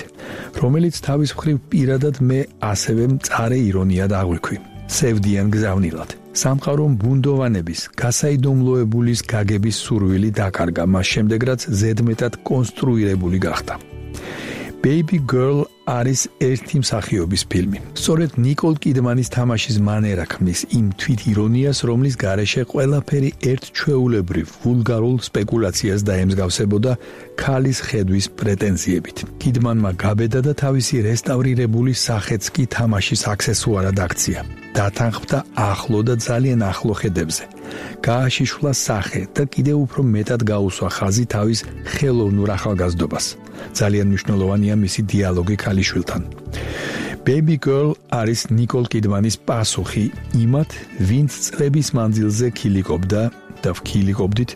რომელიც თავის მხრივ პირადად მე ასევე მწარე ირონიად აღვიქვი. სევდიან გზავნილად. სამყარომ ბუნდოვანების, გასაიდუმლოებულის გაგების სურვილი დაკარგა, მას შემდეგ რაც ზედმეტად კონსტრუირებული გახდა. Baby Girl არის ერთი მსახიობის ფილმი. სწორედ ნიკოლ კიდმანის თამაშის მანერა ქმნის იმ თვითირონიას, რომლის გარეშე ყველაფერი ერთჩვეულებრივ ვულგარულ სპეკულაციას დაემსგავსებოდა ქალის ხედვის პრეტენზიებით. კიდმანმა გაბედა და თავისი რესტავრირებული სახეც კი თამაშის აქსესუარად აქცია. დათანხმდა ახლო და ძალიან ახლო ხედებზე. გააშიშვლა სახე და კიდევ უფრო მეტად გაუსვა ხაზი თავის ხელოვნურ ახალგაზრდობას. ძალიან მნიშვნელოვანია მისი დიალოგი ქალიშვილთან. Baby Girl არის ნიკოლ კიდმანის პასუხი იმათ, ვინც წლების მანძილზე ქილიკობდა და ვქილიკობდით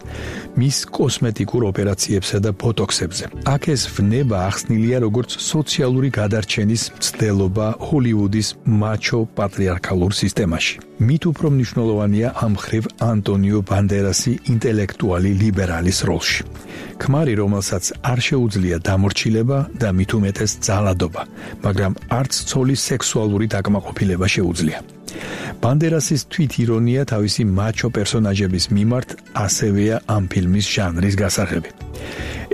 მის კოსმეტიკურ ოპერაციებსა და ბოტოქსებზე. აქ ეს ვნება ახსნილია როგორც სოციალური გადარჩენის მცდელობა ჰოლივუდის მაჩო პატრიარქალურ სისტემაში. მით უფრო მნიშვნელოვანია ამ მხრივ ანტონიო ბანდერასი ინტელექტუალი ლიბერალის როლში. ქმარი, რომელსაც არ შეუძლია დამორჩილება და მით უმეტეს ძალადობა, მაგრამ არც ცოლის სექსუალური დაკმაყოფილება შეუძლია. ბანდერასის თვითირონია თავისი მაჩო პერსონაჟების მიმართ ასევეა ამ ფილმის ჟანრის გასაღები.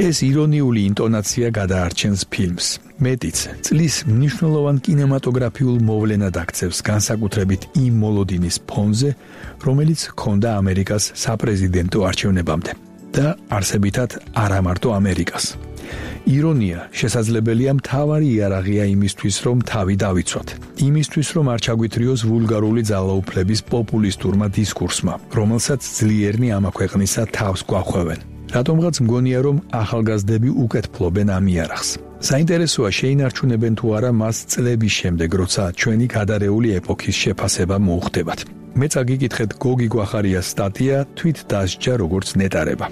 ეს ირონიული ინტონაცია გადაარჩენს ფილმს. მეტიც, წლის მნიშვნელოვან კინემატოგრაფიულ მოვლენად აქცევს განსაკუთრებით იმ მოლოდინის ფონზე, რომელიც ჰქონდა ამერიკას საპრეზიდენტო არჩევნებამდე და არსებითად არა მარტო ამერიკას. ირონია შესაძლებელია მთავარი იარაღია იმისთვის, რომ თავი დავიცვათ. იმისთვის, რომ არ ჩაგვითრიოს ვულგარული ძალაუფლების პოპულისტურმა დისკურსმა, რომელსაც ძლიერნი ამა ქვეყნისა თავს გვახვევენ. რატომღაც მგონია, რომ ახალგაზრდები უკეთ ფლობენ ამ იარაღს. საინტერესოა შეინარჩუნებენ თუ არა მას წლების შემდეგ, როცა ჩვენი გადარეული ეპოქის შეფასება მოუხდებათ. მეც აგიკითხეთ გოგი გვახარიას სტატია თვით დასჯა როგორც ნეტარება.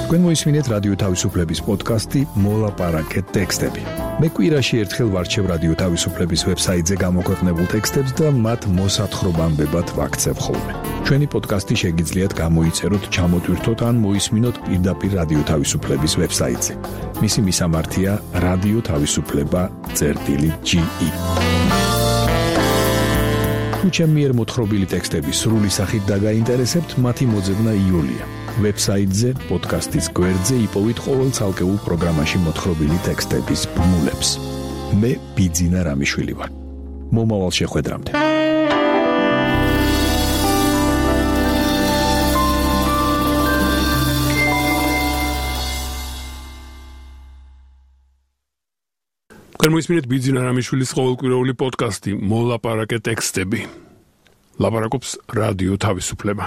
თქვენ მოისმინეთ რადიო თავისუფლების პოდკასტი მოლაპარაკეთ ტექსტები. მე კვირაში ერთხელ ვარჩევ რადიო თავისუფლების ვებსაიტზე გამოქვეყნებულ ტექსტებს და მათ მოსათხრობამდებად ვაქცევ ხოლმე. ჩვენი პოდკასტი შეგიძლიათ გამოიწეროთ, ჩამოტვირთოთ ან მოისმინოთ პირდაპირ რადიო თავისუფლების ვებსაიტზე. მისი მისამართია რადიო თავისუფლება.ge. თუ ჩემი მიერ მოთხრობილი ტექსტები სრული სახით დაგაინტერესებთ, მათი მოძებნა იულია. ვებსაიტზე, პოდკასტის გვერდზე იპოვით ყოველ ცალკეულ პროგრამაში მოთხრობილი ტექსტების ბმულებს. მე ბიძინა რამიშვილი ვარ. მომავალ შეხვედრამდე.
თქვენ მოისმინეთ ბიძინა რამიშვილის ყოველკვირეული პოდკასტი მოლაპარაკეთ ტექსტები. ლაპარაკობს რადიო თავისუფლება.